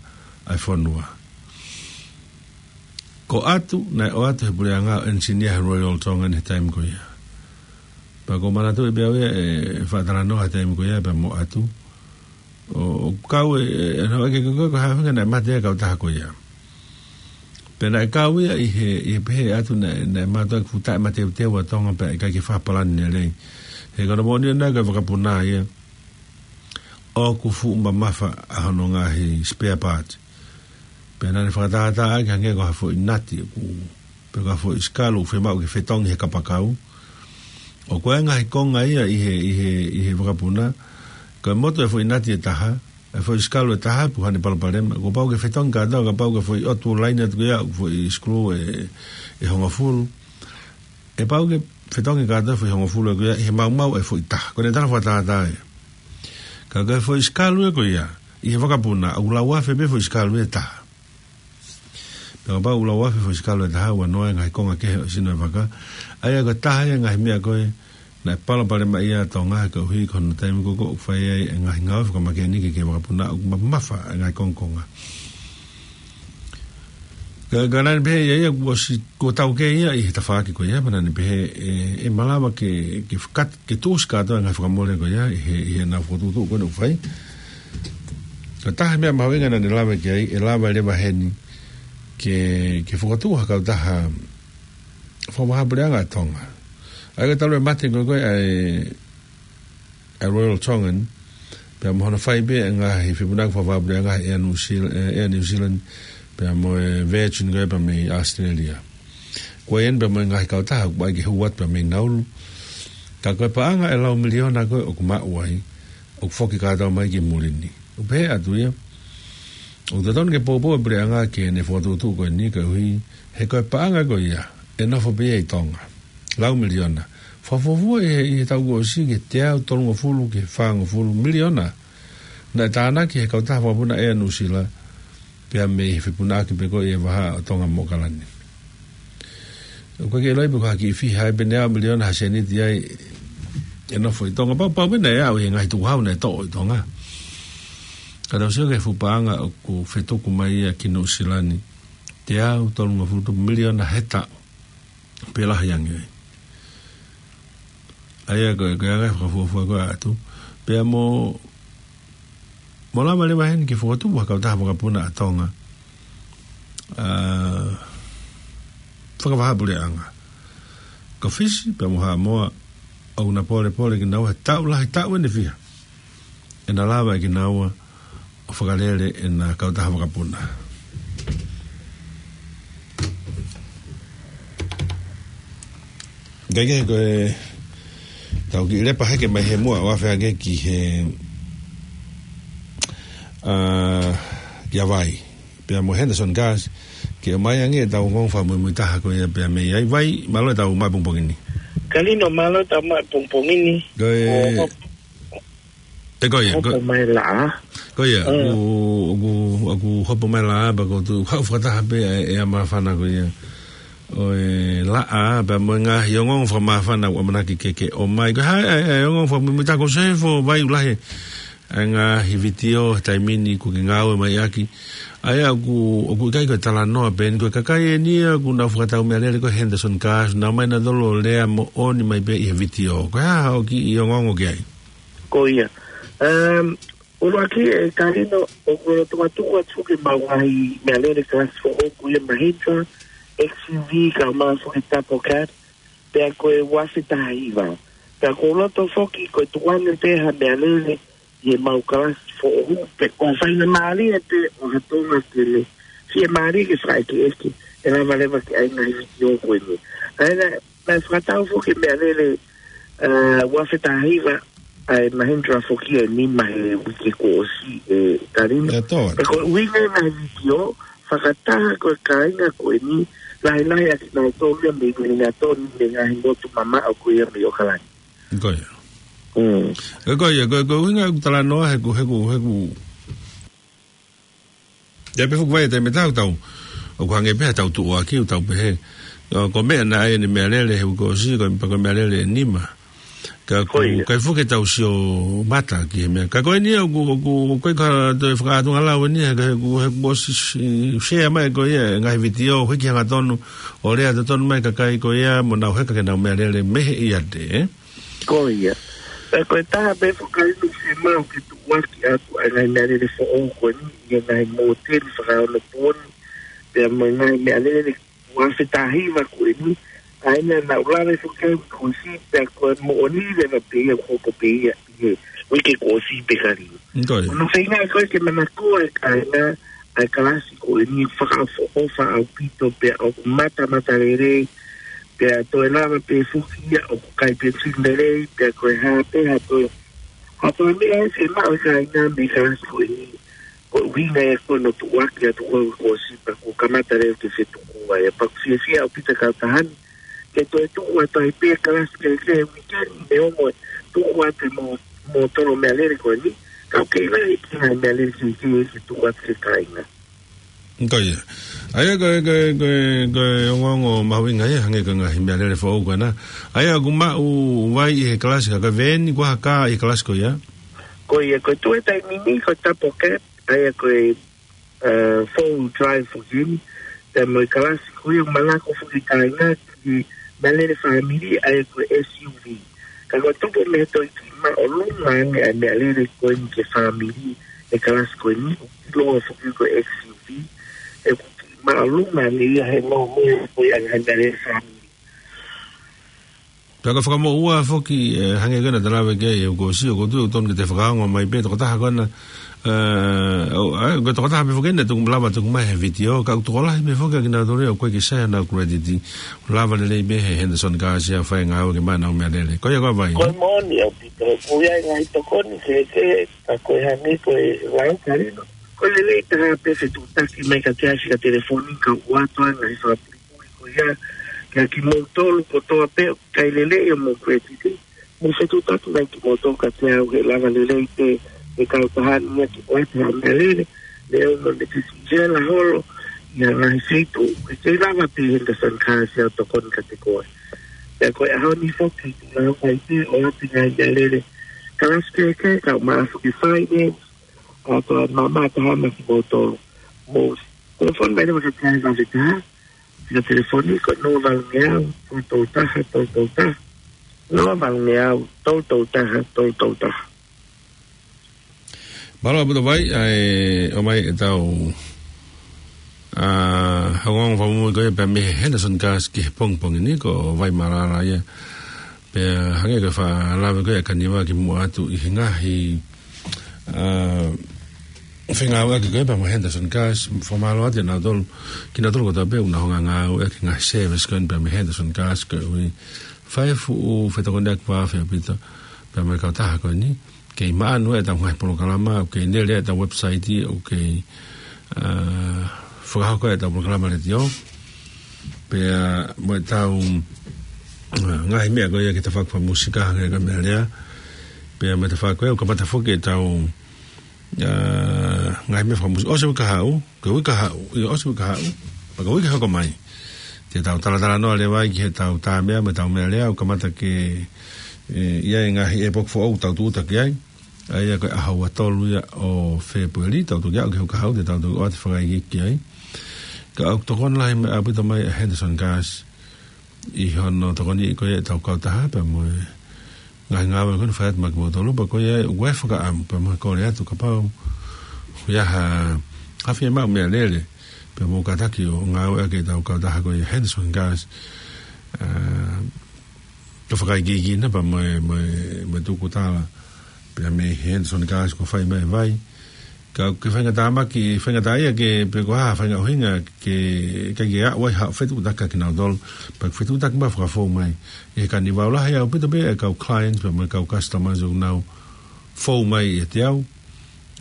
ʻa e fonua. Ko ʻAtu, naʻe ʻoatu he puleʻanga ʻo ʻenisinia he Royal Tongan he taimi ko ia. Pea ʻoku ou manatuʻi pē au ia ʻe faʻa talanoa he taimi ko ia pea mo ʻAtu. ʻO, ʻo kau e, e, e, ʻo ʻeke ko, ko, ko e hā e ʻuhinga naʻe mate ai e kautaha ko ia. Pea naʻe kau ia ʻi he, ʻi he pehē ʻe ʻAtu naʻe, naʻe mātuʻaki fuʻu taʻemateuteu ʻa Tonga pea ʻikai ke fakapalani lelei. He ko hono moʻoni ʻona ko e vakapuna ia ʻoku fuʻu mamafa ʻa hono ngaahi spare part. Pea naʻa ne fakatātā ʻaki hangē ko ha foʻi nati ʻoku, pe ko ha foʻi sikalu ʻoku fiemaʻu ke fetongi he kapakau. ʻOku ʻi ai e ngaahi konga ia ʻi he, ʻi he, ʻi he vakapuna, ko e motu e foʻi nati ʻe taha, e foʻi sikalu ʻe taha, pe ko e hā ʻene palopalema, kuo pau ke fetongi kātoa, kapau ko e foʻi ʻotu laine atu ko ia, foʻi screw ʻe, ʻe hongofulu. ʻE pau ke fetongi kātoa e foʻi hongofulu ko ia ʻi he maumau e foʻi taha. Ko ʻene tala fakatātā ia. Ka ko e foʻi sikalu ia ko ia, ʻi he vakapuna, ʻoku lau afe pē foʻi sikalu ʻe taha. Pea kapau ʻoku lau afe foʻi sikalu ʻe taha, ʻoua noa e ngaahi konga kehe ʻo e sino e vaka. ʻA ia ko e taha ia e ngaahi meʻa ko ē naʻe palopalemaʻi ai ʻa Tonga he koeʻuhi ko hono taimi ko ē ʻoku fai ai e ngaahi ngāue fakamākenikeni ki he vakapuna, ʻoku mamafa e ngaahi kongokonga. Ka, ka naʻa ne pehē ia, ia kuo ʻosi, kuo taukei ia ʻi he tafaʻaki ko ia, pea naʻa ne pehē ʻe, ʻe malava ke, ke fakat-, ke tuʻusi kātoa e ngaahi fakamole ko ia ʻi he, ʻi heʻenau fokotuʻutuʻu ko ē naʻa nau fai. Ko e taha e meʻa mahuʻinga naʻa ne lave ki ai, ʻe lava leva heni ke, ke fokotuʻu ha kautaha fakavahaʻapuleʻanga ʻa Tonga. ʻA ia ko e talu e mate ko ē ko ē ʻa e, ʻa e Royal Tongan, pea mo hono fai pē ʻa e ngaahi fepuna fakavahaʻapuleʻanga ʻa e Air New Zealand, ʻa e Air New Zealand, pea mo e Virgin ko ē pea mei Australia. Ko ia pea mo e ngaahi kautaha, ʻoku ʻai ke hū atu pea mei Nauru. Ka ko e paʻanga ʻe lau miliona ko ē ʻoku maʻu ai, ʻoku foki kātoa mai ki muli ni. ʻOku pehē atu ia, ʻoku totonu ke poupou e puleʻanga ke ne fokotuʻutuʻu ko eni koeʻuhi, he ko e paʻanga ko ia, ʻe nofo pē ia ʻi Tonga. Lau miliona. Fakafuofua ʻi he, ʻi he taʻu kuo ʻosi ki he teau tolungofulu ki he fāngofulu miliona. Naʻe tānaki he kautaha vakapuna Air New Zealand, pea mei he fepunaʻaki pē ko ē ʻi he vahaʻa ʻo Tonga mo ʻAokalani. ʻOku ʻikai ke ʻiloa pe ko e hā e kiʻi fiha ai pe neau miliona ha sēniti ai ʻe nofo ʻi Tonga. Pau, pau pē naʻe aʻu ʻi he ngaahi tukuhau naʻe toʻo ʻi Tonga. Ka tau sio ki he fuʻu paʻanga ʻoku fetuku mai ia ki Nuʻu Sila ni. Teau tolungofulu miliona he taʻu. Pe lahi ange ai. ʻA ia ko e, ko e anga e fakafuofua ko ē atu. Pea mo, mo lava leva heni ke fokotuʻu ha kautaha vakapuna ʻa Tonga. ʻA, fakavahaʻapuleʻanga. Ko Fisi, pea mo Haʻamoa, ʻoku na polepole kinaua he taʻu lahi, taʻu ʻe fiha. ʻE na lava ʻe kinaua ʻo fakalele ʻena kautaha vakapuna. Kae kehe ko e tau kiʻi lepa hake mai he muʻa ʻo afe ange ki he, ʻa, ki a Vai. Pea mo Henderson Gas, ke ʻomai ange ʻetau ongoongo fakamuimuitaha ko ia pea mei ai. Vai, mālō ʻetau maʻu pongipongi ni. Kalino, mālō ʻetau maʻu pongipongi ni. Ko e, ʻO, ʻe ko ia, hopo ko, mai laʻā. Ko ia, Mm. ʻoku, ʻoku, ʻoku hopo mai laʻā, pea ko tu, haʻu fakataha pē ʻa e, ʻa e māfana ko ia. ʻO e laʻā, pea mo e ngaahi ongoongo fakamāfana ʻoku ʻamanaki ke, ke ʻomai. Ko e hā e, e, e ongoongo fakamuimuitaha ko Sefo Vai, ʻoku lahi ʻa e ngaahi vitiō he taimi ni ʻoku ke ngāue mai ʻaki. ʻA ia ʻoku, ʻoku ʻikai ko e talanoa pē eni, ko e kakai eni ia ʻoku nau fakatau meʻalele ko Henderson Gas, nau mai nautolu ʻo lea moʻoni mai pē ʻi he vitiō. Ko e hā hoʻo kiʻi ongoongo ki ai? Ko ia. Um, ʻUluaki ē Kalino, ʻoku ou loto atu atu ke mau ngaahi meʻalele kalasi foʻou ko ia Mahindra, X U V, kae ʻumaʻā foki e double cab, pea ko e uafe taha hiva. Pea ʻoku ou loto foki ko e tuku ange pē ha meʻalele ʻi he mau kalasi foʻou, pe ko e faingamālie pē ʻo ha Tonga ke ne fiemālie ke fakaʻekeʻeke, ʻe lava leva ke ʻai ngaahi vitiō ko eni. ʻA ia, naʻe fakatau foki e meʻalele, ʻa, uafe taha hiva, ʻa e Mahindra foki ʻe nima he uike kuo ʻosi ē Kalino. ʻE tō. Pea ko e ʻuhinga e ngaahi vitiō, fakataha ko e kāinga ko eni, lahilahi ʻa kinautolu ia mei Uelingatoni, mei he ngaahi motu mamaʻo ko ia mei ʻAokalani. Ko ia. Mm. Ko ia, ko, ko e ʻuhinga ʻeku talanoa he ʻoku, he ʻoku, he ʻoku ʻIo pē fuʻu vai e taimi ʻe taha ʻoku tau, ʻoku hangē pē ha tau tuʻuaki ʻoku tau pehē. ʻO, ko e meʻa naʻe ʻai ʻene meʻalele he uike kuo ʻosi, ko e, ko e meʻalele ʻe nima. Ka ʻoku, Ko ia. ʻikai fuʻu ke tau sio mata ki he meʻa. Ka ko eni ia ʻoku, ʻoku, ʻoku ʻikai ko ha toe fakaʻatungalau eni ia, ka he ʻoku, he ʻoku ʻosi si-, share mai ko ia e ngaahi vitiō, hiki hangatonu, ʻo lea totonu mai e kakai ko ia, mo nau heka ke nau meʻalele mei he ʻiate, ē? Ko ia. Pea ko e taha pē foki ʻeni ʻoku fiemaʻu ke tuʻuaki atu ʻa e ngaahi meʻalele foʻou ko eni ʻi he ngaahi mōteni fakaonopooni, pea mo e ngaahi meʻalele uafe taha hiva ko eni, ʻa ia naʻa nau lave foki ai kuo ʻosi, pea ko e moʻoni leva pē ia, ko ko pē ia ʻi he uike kuo ʻosi pē Kalino. Ko ia. ʻOku ou feinga ko ē ke manako e kāinga, ʻa e kalasi ko eni fakaʻofoʻofa ʻaupito pea ʻoku matamatalelei, pea toe lava pē foki ia ʻoku kai pē fili lelei, pea ko e hā pē ha toe, ha toe meʻa ʻe fiemaʻu e kāinga mei he kalasi ko eni. Ko e ʻuhinga ia ko ē hono tuʻuaki atu ko ē kuo ʻosi pea kuo kamata leva ke fetuku ai. Pea ʻoku fiefia ʻaupito e kautaha ni ke toe tuku atu ai pē e kalasi kehekehe he uike ni, neongo e tuku atu e mo-, mōtolo meʻalele ko eni, ka ʻoku kei lahi e kiʻi ngaahi meʻalele kehekehe ke tuku atu ki he kāinga. Ko ia. ʻA ia ko e, ko e, ko e, ko e ongoongo mahuʻinga ia hangē ko e ngaahi meʻalele foʻou ko ena. ʻA ia ʻoku maʻu vai ʻi he kalasi ka, ka veeni ko e hā e kā ʻi he kalasi ko ia? Ko ia, ko e tuʻu he taimi ni ko e double cab, ʻa ia ko e, uh, four wheel drive foki eni, pea mo e kalasi ko ia ʻoku manako foki e kāinga ki he meʻalele fāmili, ʻa ia ko e S U V. Ka ko e tupu mei he toe kiʻi māʻolunga ange ʻa e meʻalele ko eni ki he fāmili he kalasi ko eni, ʻoku ʻiloa foki ko e X U V, ʻoku kiʻi māʻolunga ange ia he nōmolo ko ia ʻa e meʻalele fāmili. Pea ko e fakamoʻua foki, ē, hangē ko ena naʻa ta lave ki ai he kuo ʻosi, ʻoku ou tui ʻoku totonu ke te fakaongo mai pē tokotaha ko ena, ē, ʻo, ē, ko e tokotaha pē foki ena ʻoku lava ʻo tuku mai he vitiō, ka ʻoku tokolahi pē foki ʻa kinautolu ia ʻoku ʻikai ke sai honau credit, lava lelei pē he Henderson Cars ia ʻo fai e ngāue ke maʻu honau meʻalele. Ko ia ko Vai. Ko e moʻoni ʻaupito, ʻoku ʻi ai e ngaahi tokoni kehekehe, ka ko e hangē ko e lau ka lino. Ko e lelei taha pē fetuʻutaki mai kiate au ʻi ha telefoni kae ʻoatu ʻa e ngaahi fakapuipui ko ia kiate kimoutolu kotoa pē ʻoku ʻikai lelei homou credit. Mou fetuʻutaki mai kimoutolu kiate au he lava lelei pē ʻe he kautaha ni ia ke ʻoatu ha meʻalele. Neongo ne ke sela holo ʻi ha ngaahi feituʻu, ʻe kei lava pē ʻe he Henderson Cars ia ʻo tokoni kiate koe. Pea ko e ʻaho ni foki, ʻoku lava ai pē ʻo ʻoatu e ngaahi meʻalele kalasi kehekehe, ka ʻoku maʻu foki e finance, ʻa e tō ʻa e maama taha maʻa kimoutolu. Mou telefoni mai leva kiate au he taha, ʻa e telefoni ko e noa valu ngeau, tolu tolu taha, tolu tolu taha. Noa valu ngeau, tolu tolu taha, tolu tolu taha. Mālō ʻaupito Vai, ʻa e, ʻomai ʻetau, ā, ongoongo fakamuimui ko ia pea mei he Henderson Cars ki he pongipongi ni, ko Vai Malala ia. Pea hangē ko e fakalave ko ia ʻa Kaniva kimuʻa atu ʻi he ngaahi, ā, fengāueʻaki ko ia pea mo e Henderson Cars, fakamālō atu ʻia nautolu, kinautolu kotoa pē ʻoku nau hanga ʻo ngāueʻaki e ngaahi service ko eni pea mei he Henderson Cars, koeʻuhi fai e fuʻu fetokoniʻaki fakaafeʻi ʻaupito pea mo e kautaha ko eni. Kei maʻanu ʻetau ngaahi polokalama, ʻoku kei lele ʻetau website, ʻoku kei, ā, fakahoko ʻetau polokalama letiō. Pea mo ʻetau, ā, ngaahi meʻa ko ia ki he tafaʻaki fakamusika hangē ko e meʻalea. Pea mo e tafaʻaki ko ia ʻoku kamata foki ʻetau, ā, ngaahi meʻa fakamusika. ʻOsi e uike kahaʻu, ko e uike kahaʻu, ʻio ʻosi e uike kahaʻu, pea ko e uike hoko mai te tau talatalanoa leva ai ki heʻetau tā meʻa mo ʻetau meʻalea, ʻoku kamata ke, ē, ʻi ai e ngaahi ʻēpoki foʻou ʻoku tau tūʻuta ki ai. ʻA ia ko e ʻaho ua tolu ia ʻo Fēpueli, tau toki aʻu ki he uike kahaʻu, te tau toki ʻoatu e fakaikiiki ai. Ka ʻoku tokoni lahi mai ʻaupito mai ʻa Henderson Cars ʻi hono tokoniʻi ko ia ʻetau kautaha pea mo e ngaahi ngāue ko eni ʻoku fai atu maʻa kimoutolu, pea ko ia ʻoku ʻi ai e fakaʻamu pea mo e kole atu kapau ʻoku ʻi ai ha, ha fiemaʻu meʻalele pea mou kātaki ʻo ngāueʻaki ʻetau kautaha ko ia Henderson Cars, ā, ke fakaikiiki na pea mo e, mo e, mo e tukutala pea mei he Henderson Cars kuo fai mai ʻe Vai. Ka ke faingataʻa mai, ke faingataʻa ia ke, pe ko e hā e faʻahinga ʻuhinga ke, ke, ke aʻu ai haʻo fetuʻutaki kiate kinautolu, pea ke fetuʻutaki mai ʻo fakafou mai. ʻI he Kaniva ʻoku lahi ʻaupito pē e kau clients pea mo e kau customers ʻoku nau fou mai ʻiate au,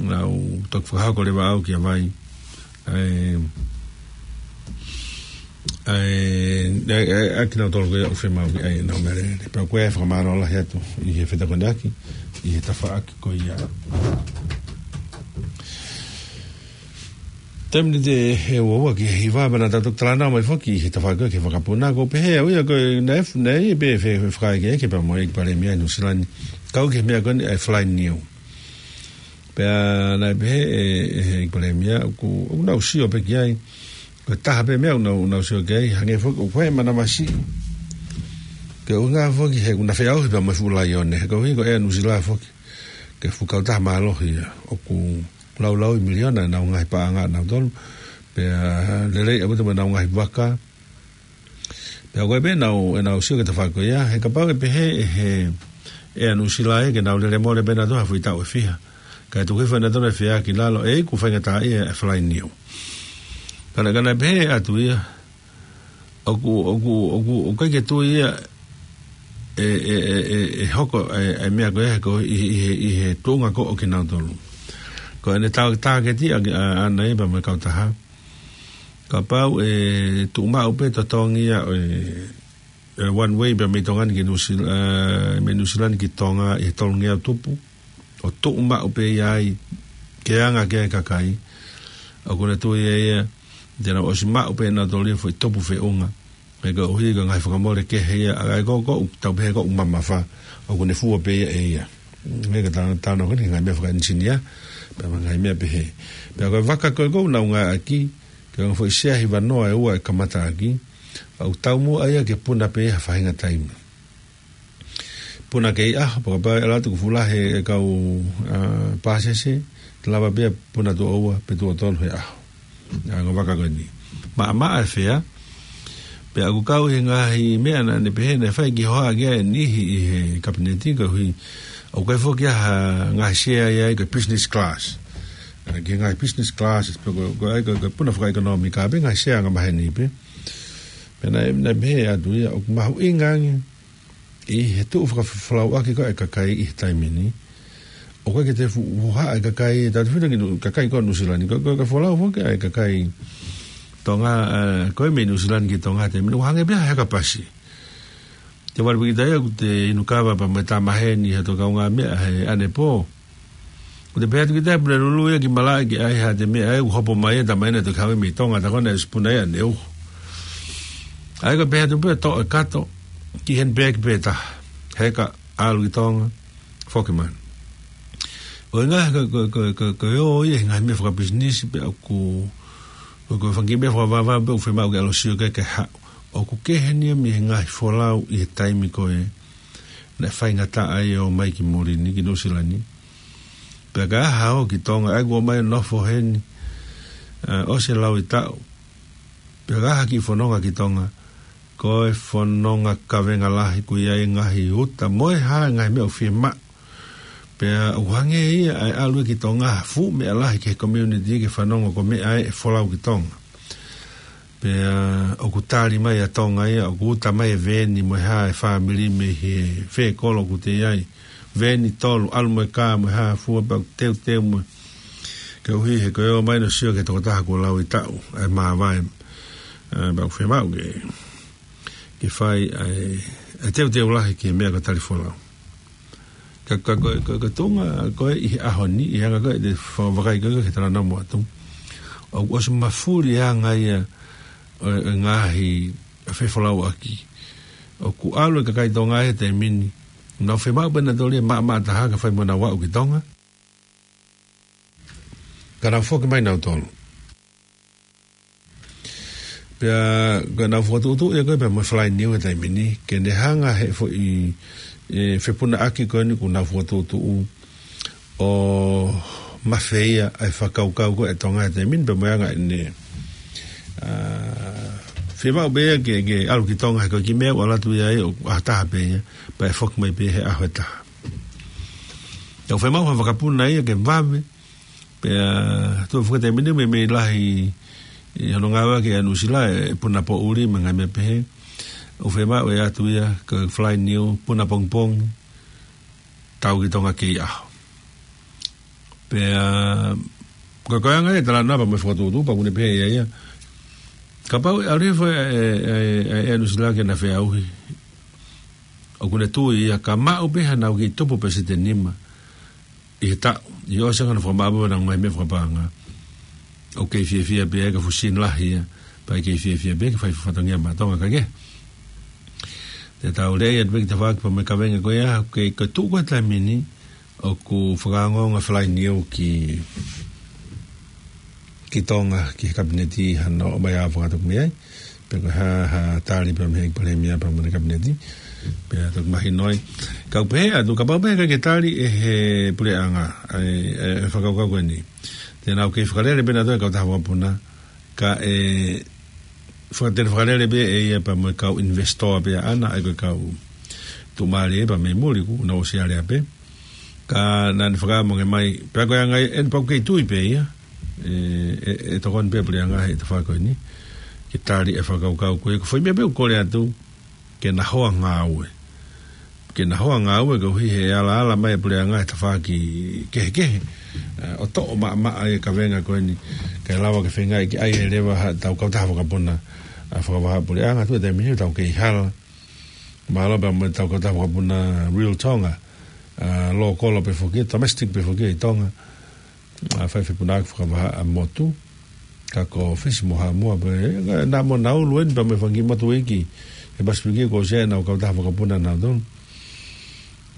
nau toki fakahoko leva au kia Vai. ʻA e, ʻa e, ʻa e, ʻa e, ʻa kinautolu ko ia ʻoku fiemaʻu ki ai ʻenau meʻalele. Pea ko e fakamālō lahi atu ʻi he fetokoniʻaki ʻi he tafaʻaki ko ia. Taimi ni ʻe ua ua ki he hiva, pea naʻa tau toki talanoa mai foki ʻi he tafaʻaki ko ia ki he vakapuna, ʻoku pehē au ia ko e naʻe, naʻe ʻi ai pē e fe-, fefakaikiiki pea mo e ʻEiki Palēmia ʻi Nuʻusila ni, kau ki he meʻa ko eni ʻa e fly niu. Pea naʻe pehē ʻe, ʻe he ʻEiki Palēmia, ʻoku, ʻoku nau sio pē ki ai. Ko e taha pē meʻa ʻoku nau, nau sio ki ai, hangē foki, ʻoku ʻi ai e manavasiʻi. Ko e ʻuhinga foki he ʻoku na feʻauhi pea mo e fuʻu laione, he koeʻuhi ko Air Nuʻusila foki ko e fuʻu kautaha mālohi ia, ʻoku laulau ʻi miliona ʻenau ngaahi paʻanga ʻanautolu, pea lelei ʻaupito mo ʻenau ngaahi vaka. Pea ko e pē ʻenau, ʻenau sio ki he tafaʻaki ko ia, he kapau ʻe pehē ʻe he, ʻe Air Nuʻusila ia ke nau lele mole pē ʻanautolu ha foʻi taʻu ʻe fiha, kae tuku hifo ʻe nautolu e fea ki lalo, ʻe ʻikai faingataʻaʻia e fly niu. Ka naʻe, ka naʻe pehē atu ia, ʻoku, ʻoku, ʻoku, ʻoku ʻikai ke tui ia ʻe, ʻe, ʻe, ʻe, ʻe hoko e, e meʻa ko ia he ko ʻi, ʻi, ʻi he, ʻi he tuʻunga ko ē ʻo kinautolu. Ko ʻene tā-, tāketi ʻa, ʻa, ʻaʻana ia pea mo e kautaha. Kapau ʻe tuʻu maʻu pē totongi ia ʻo e, e one way pea mei Tonga ni ki Nuʻusila-, ē, mei Nuʻusila ni ki Tonga ʻi he tolungeau tupu, ʻo tuʻu maʻu pē ia ai ke anga ki ai e kakai, ʻoku ne tui ia ia te nau ʻosi maʻu pē ʻe nautolu ia e foʻi tupu feʻunga. He koeʻuhi ko e ngaahi fakamole kehe ia, ʻa ia ko, ko, tau pehē ko e mamafa, ʻoku ne fua pē ia ʻe ia. He ka tau, tau nau ko eni ngaahi meʻa fakaʻenisinia, pea mo e ngaahi meʻa pehē. Pea ko e vaka ko ē ʻoku nau ngāueʻaki, ko e ngaahi foʻi sea hiva noa ʻe ua ʻe kamata ʻaki, ʻoku taumuʻa ia ke puna pē ia ha faʻahinga taimi. Puna kei ʻaho, pea kapau ʻe ʻalu atu kuo fuʻu lahi e kau, ā, pāsese, te lava pē ia puna tuʻo ua pe tuʻo tolu he ʻaho. ʻA e ngaahi vaka ko eni. Maʻamaʻa e fea, Pea ʻoku kau he ngaahi meʻa naʻa ne pehē naʻe fai ki hoʻa ki ai e niʻihi ʻi he kapineti koeʻuhi ʻoku ʻikai foki ha ngaahi sea ia ai ko e business class. ʻA, ki he ngaahi business class, pe ko, ko ai ko, ko e puna fakaʻekonōmika, pe ngaahi sea angamaheni pē. Pea naʻe, naʻe pehē atu ia, ʻoku mahuʻinga ange ʻi he tuʻu fakafolau ʻaki ko ē e kakai ʻi he taimi ni. ʻOku ʻikai ke toe fu-, fuha e kakai, tau te fina ki Nu-, kakai ko Nuʻusila ni, ko, ko, ko e folau foki ʻa e kakai Tonga, ē, ko ē mei Nuʻusila ni ki Tonga he taimi ni, ʻoku hangē pē ha heka pasi. Te vale piki tai ʻoku te inu kava pea mo e tama heni ha tō kaungāmeʻa he ʻanepō. ʻOku te pehē atu ki tai pule lulu ia ki malaʻe ki ai ha te meʻa ē, ʻoku hopo mai e tama ena te kave mei Tonga, ta kona e sipuna ia ne uho. ʻA ia ko e pehē atu pē toʻo e kato ki he bag pē taha. Heka ʻalu ki Tonga, foki mai. ʻO e ngaahi ko, ko, ko, ko, ko e ō ia he ngaahi meʻa fakapisinisi pea ʻoku, ko, ko e fanga kiʻi meʻa fakavavevave pē ʻoku fiemaʻu ke ʻalu ʻo sio ki ai ke haʻu. ʻOku kehe eni ia mei he ngaahi folau ʻi he taimi ko ē naʻe faingataʻa ai e ō mai ki muli ni, ki Nuʻusila ni. Pea ka ʻi ai ha ō ki Tonga, ʻa ia kuo ō mai ʻo nofo heni, ē, ʻosi e lauʻi taʻu. Pea ka ʻi ai ha kiʻi fononga ki Tonga, ko e fononga kavenga lahi, ʻoku ʻi ai e ngaahi uta mo e hā e ngaahi meʻa ʻoku fiemaʻu. Pea ʻoku hangē ia ʻa e ʻalu ia ki Tonga ha fuʻu meʻa lahi ki he community ke fanongo ko e meʻa ē ʻe folau ki Tonga. Pea ʻoku tali mai ʻa Tonga ia, ʻoku uta mai e veeni mo e hā e fāmili mei he fē kolo ʻoku te ʻi ai. Veeni tolu, ʻalu mo e kā mo e hā fua pea ʻoku teuteu mo e, koeʻuhi he ko e ō mai ʻo sio ki he tokotaha kuo lauʻi taʻu, ʻa e māvae, ē, pea ʻoku fiemaʻu ke, ke fai ʻa e, ʻa e teuteu lahi ki he meʻa ko e tali folau. Ka, ka, ko, ko, ko e tuʻunga ko ē ʻi he ʻaho ni, ʻi he anga ko ē ʻete fakavakai ko ē ki he talanoa mo atu. ʻOku ʻosi mafuli e anga ia ʻo e, ʻo e ngaahi fefolauʻaki. ʻOku ʻalu e kakai Tonga he taimi ni, nau fiemaʻu pē nautolu ia maʻamaʻa taha ka fai mo ʻenau aʻu ki Tonga. Ka nau foki mai nautolu. Pea, ka nau fokotuʻutuʻu ia ko ē pea mo e Fly Niu he taimi ni, ke ne hanga he foʻi, ē, fepunaʻaki ko eni kuo nau fokotuʻutuʻu ʻo mafeia ʻa e fakakaukau ko ē ʻa Tonga he taimi ni pea mo e anga ʻene, ā, fiemaʻu pē ia ke, ke ʻalu ki Tonga he ko e kiʻi meʻa ʻoku ʻalu atu ia ai ʻo ʻaho taha pē ia, pea ʻe foki mai pē he ʻaho ʻe taha. Tau fiemaʻu ha vakapuna ia ke vave, pea tuʻu foki he taimi ni meimei lahi ʻi hono ngāueʻaki ʻa Nuʻusila e puna poʻuli mo e ngaahi meʻa pehē. ʻOku fiemaʻu ʻe ʻatu ia ko e Fly Niu, puna pongipongi, tau ki Tonga kei ʻaho. Pea, ko e, ko e anga ia e talanoa pea mo e fokotuʻutuʻu, pea ʻoku ne pehē ia ia. Kapau ʻe ʻalu hifo ʻe, ʻe, ʻe, ʻe, ʻe Nuʻusila ke na feʻauhi. ʻOku ne tui ia ka maʻu pē haʻanau kiʻi tupu pē sēniti ʻe nima ʻi he taʻu, ʻi ʻosi ange hono fakamaʻa pē ʻenau ngaahi meʻa fakapaʻanga. ʻOku kei fiefia pē ia ka fuʻu sini lahi ia, pea kei fiefia pē ke fai fatongia maʻa Tonga ka ke. Te tau lea ia pē ki he tafaʻaki pea mo e kavenga ko ia, ʻoku kei, ko e tuʻu ko ē he taimi ni, ʻoku fakaongoongo Fly Niu ki, ki Tonga, ki he kapineti hano ō mai ʻo fakatoka mei ai. Pea ko e hā, ha tali pea mei he palēmia pea mo e kapineti. Pea toki mahino ai. Kau pehē atu, kapau pē ʻe ʻikai ke tali ʻe he puleʻanga ʻa e, ʻa e fakakaukau ko eni, te nau kei fakalele pē nautolu e kautaha vakapuna, kae faka-, te ne fakalele pē ʻe ia pea mo e kau investor pē ʻaʻana, ʻa ia ko e kau tuʻumālie pea mei muli kuo nau ʻosi alea pē. Ka naʻa ne fakaʻamu ange mai, pea ko e anga ia, ʻe pau ke tui pē ia, ē, ʻe, ʻe tokoni pē puleʻanga he tafaʻaki ko eni ke tali e fakakaukau ko ia, ko e foʻi meʻa pē ʻoku kole atu, ke na hoa ngāue. Ke na hoa ngāue koeʻuhi he alaala mai e puleʻanga he tafaʻaki kehekehe, ē, ʻo toʻo maʻamaʻa e kavenga ko eni, kae lava ke feinga ke ʻai e leva haʻatau kautaha vakapuna, ā, fakavahaʻapuleʻanga, tuʻu he taimi ni tau kei hala. Mālō pea mo ʻetau kautaha vakapuna Real Tonga, ā, lōkolo pē foki, domestic pē foki ʻi Tonga. Ā, fai fepunaʻaki fakavahaʻamotu, ka ko Fisi mo Haʻamoa pē, ē, naʻa mo Naulu eni pea mo e fanga kiʻi motu iiki he Pasifiki kuo ʻosi ʻenau kautaha vakapuna nautolu.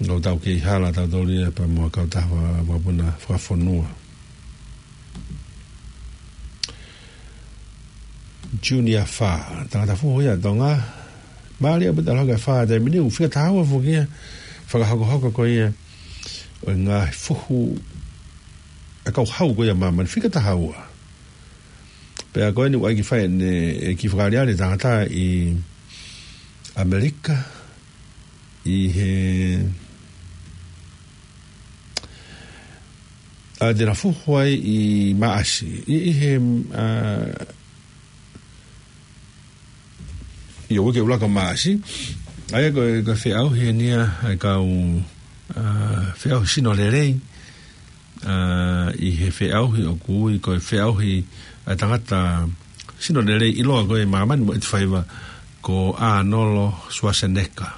Ka tau kei hala tautolu ia pea mo e kautaha vaka-, vakapuna fakafonua. Junior Fa, tangata fuhu ia ʻa Tonga. Mālie ʻaupito ʻalu hake ʻa Fa he taimi ni, ʻoku fika taha ua foki ia, fakahokohoko ko ia ʻo e ngaahi fuhu ʻa e kau hau ko ia ʻa māmani, fika taha ua. Pea ko eni ʻoku ʻai ke fai ʻene, ʻe kiʻi fakaʻaliʻali e tangata ʻi ʻAmelika, ʻi he, ʻa, te na fuhu ai ʻi Maʻasi, ʻi, ʻi he, ʻa, ʻi he uike ʻuluaki ʻo Maʻasi. ʻA ia ko e, ko e feʻauhi eni ia ʻa e kau, ʻa, feʻauhi sino lelei, ʻa, ʻi he feʻauhi ʻoku ui ko e feʻauhi ʻa e tangata sino lelei ʻiloa ko ē ʻi māmani mo ʻItaʻi, ko ʻAnolo Suaseneka.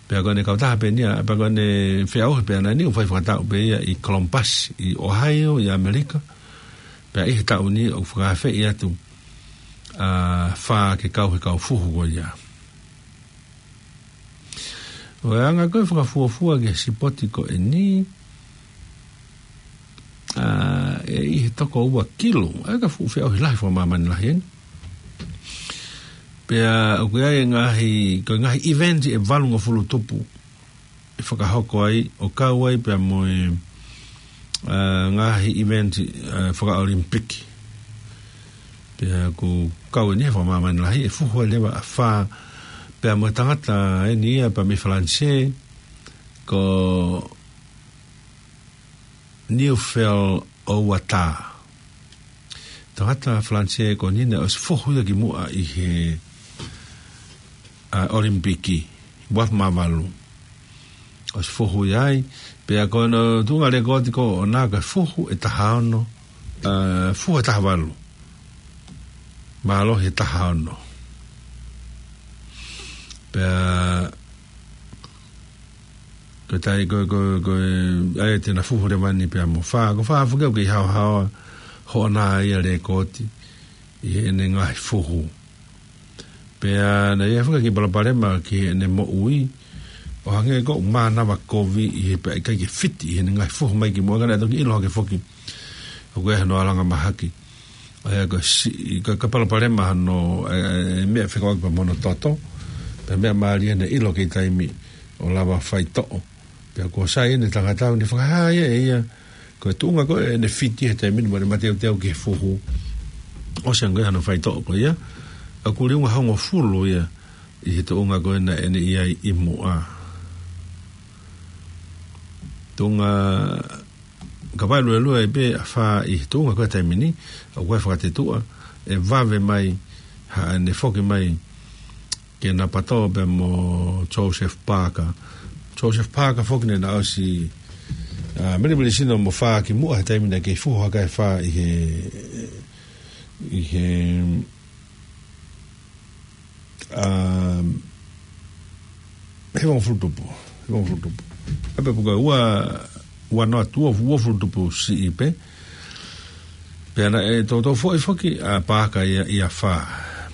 Pea ko ʻene kautaha pē eni ia, pea ko ʻene feʻauhi pē ʻaʻana ni ʻoku fai fakataʻu pē ia ʻi Columbus, ʻi Ohio, ʻi ʻAmelika. Pea ʻi he taʻu ni ʻoku fakaafeʻi atu, ʻa, fā ke kau he kau fuhu ko ia. ʻO e anga ko e fakafuofua ki he sipoti ko eni, ʻa, ʻe ʻi he toko ua kilu, ʻa e ka fuʻu feʻauhi lahi fakamāmani lahi eni. Pea ʻoku ʻi ai e ngaahi, ko e ngaahi event ʻe valungofulu tupu ʻe fakahoko ai, ʻo kau ai pea mo e, ʻa, ngaahi event, ʻa, fakaʻolimpiki. Pea ʻoku kau eni he fakamāmani lahi, ʻe fuhu ai leva ʻa fā, pea mo e tangata eni ia pea mei Falanisē, ko Neufel Owata. Tangata Falanisē ko eni naʻe ʻosi fuhu ia kimuʻa ʻi he, ʻa, ʻolimpiki, ua afe mā valu. ʻOsi fuhu ia ai, pea ko hono tuʻunga lekooti ko ʻena ko e fuhu ʻe taha ono, ʻa, fuhu ʻe taha valu. Mālohi ʻe taha ono. Pea ko e taimi ko, ko, ko, ʻa ia te na fuhu leva eni pea mo fā, ko fā foki ʻoku kei haohaoa hoʻona ia lekooti ʻi heʻene ngaahi fuhu. Pea naʻe ʻi ai foki e kiʻi palopalema ki heʻene moʻui, ʻo hangē ko e mānava kovi ʻi he pea ʻikai ke fiti ʻi heʻene ngaahi fuhu mai kimuʻa, ka naʻe toki ʻilo hake foki ʻoku ʻi ai hano alanga mahaki. ʻA ia ko e si-, ko e, ko e palopalema hano, ʻe, ʻe, meʻa fekauʻaki pea mo hono toto. Pea meʻa mālie naʻe ʻilo kei taimi ʻo lava faitoʻo. Pea kuo sai eni e tangata ni, fakahā ia ʻe ia ko e tuʻunga ko ē ʻene fiti he taimi ni mo ʻene mateuteu ki he fuhu, ʻosi ange ko ē hano faitoʻo ko ia, ʻoku liunga hongofulu ia ʻi he tuʻunga ko ē naʻa ne ʻi ai ʻi muʻa. Tuʻunga ka vaeluelue ai pē ʻa fā ʻi he tuʻunga ko ē taimi ni, ʻoku ʻi ai e fakatetuʻa ʻe vave mai haʻane foki mai ke na patō pea mo Joseph Parker. Joseph Parker foki naʻe na ʻosi, ʻa, milimili sino mo fā kimuʻa he taimi naʻe kei fuhu hake ai e fā ʻi he, ʻi he, ʻa, hivangofulu tupu, hivangofulu tupu. ʻA pea puka ua, ua noa tuʻo, uofulu tupu siʻi pē. Pea naʻe toutou foʻi foki ʻa Parker ia ʻi he fā.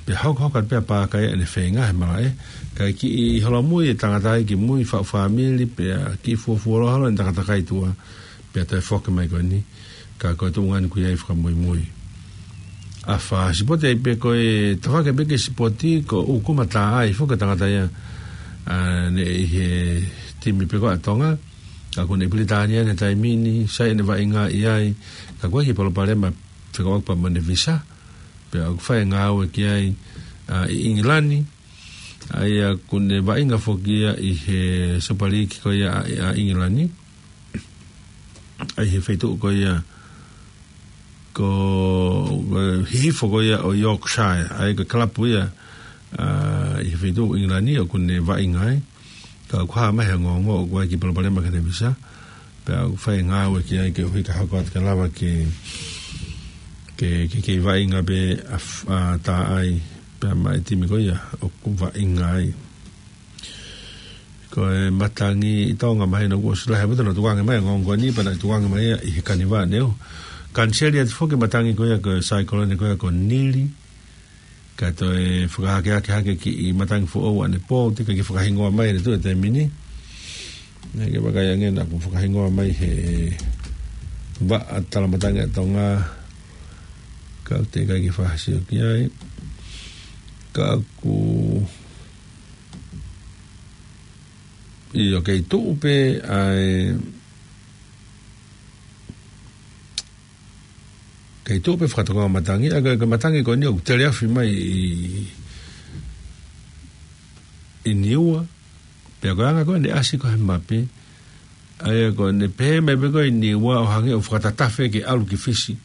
Pea hokohoko pē ʻa Parker ia ʻene feinga he malaʻe. Kae kiʻi holomui e tangata ia ki mui, faʻu fāmili, pea kiʻi fuofua loa holo ʻene takatakai tuʻa. Pea toe foki mai ko eni. Ka ko e tuʻunga eni ʻoku ʻi ai e fakamuimui. ʻA fā, sipoti ai pē ko e tafaʻaki pē ki he sipoti ko ʻUkuma Taʻai foki e tangata ia, ʻa, naʻe ʻi he timi pē ko ē ʻa Tonga. Ka ʻoku ne ʻi Pilitānia he taimi ni, sai ʻene vaʻinga ʻi ai, ka ʻoku ʻi ai e kiʻi palopalema fekauʻaki pea mo ʻene visa, pea ʻoku fai e ngāue ki ai, ʻa, ʻi ʻIngilani, ʻa ia ʻoku ne vaʻinga foki ia ʻi he Super League ko ia ʻa, ʻa ʻIngilani, ʻa ia he feituʻu ko ia ko, ko e hihifo ko ia ʻo Yorkshire, ʻa ia ko e kalapu ia, ʻa, ʻi he feituʻu ʻIngilani ʻoku ne vaʻinga ai. Ka ʻoku hā mai he ongoongo ʻoku ʻi ai e kiʻi palopalema ki heʻene visa. Pea ʻoku fai e ngāue ki ai ke ʻuhi ka hoko atu ke lava ke, ke, ke, ke vaʻinga pē ʻa, ʻa Taʻai pea mo e timi ko ia ʻoku vaʻinga ai. Ko e matangi ʻi Tonga mahino kuo ʻosi lahi ʻaupito hono tukuange mai e ongoongo ni, pea naʻe tukuange mai ia ʻi he Kanivā Neu. Kaniseli atu foki e matangi ko ia ko e saikolone ko ia ko Nili. Ka toe fakahākeakiʻi hake e kiʻi matangi foʻou ʻanepō, teʻeki ke fakahingoa mai ʻe he tuʻi he taimi ni. Naʻe ʻikai ke vakai ange naʻa ku fakahingoa mai he vaʻa talamatangi ʻa Tonga. Ka ʻoku teʻeki ke fakasio ki ai. Ka ʻoku ʻIo, kei tuʻu pē ʻa e, kei tuʻu pē fakatokoa matangi, ʻa e, ko e matangi ko eni ʻoku teleʻofi mai ʻi, ʻi Niua, pea ko e anga ko ē ʻene ʻasi ko ē he mape, ʻa ia ko ʻene pehē mai pē ko ē ʻi Niua ʻo hangē ʻoku fakatatafe ke ʻalu ki Fisi.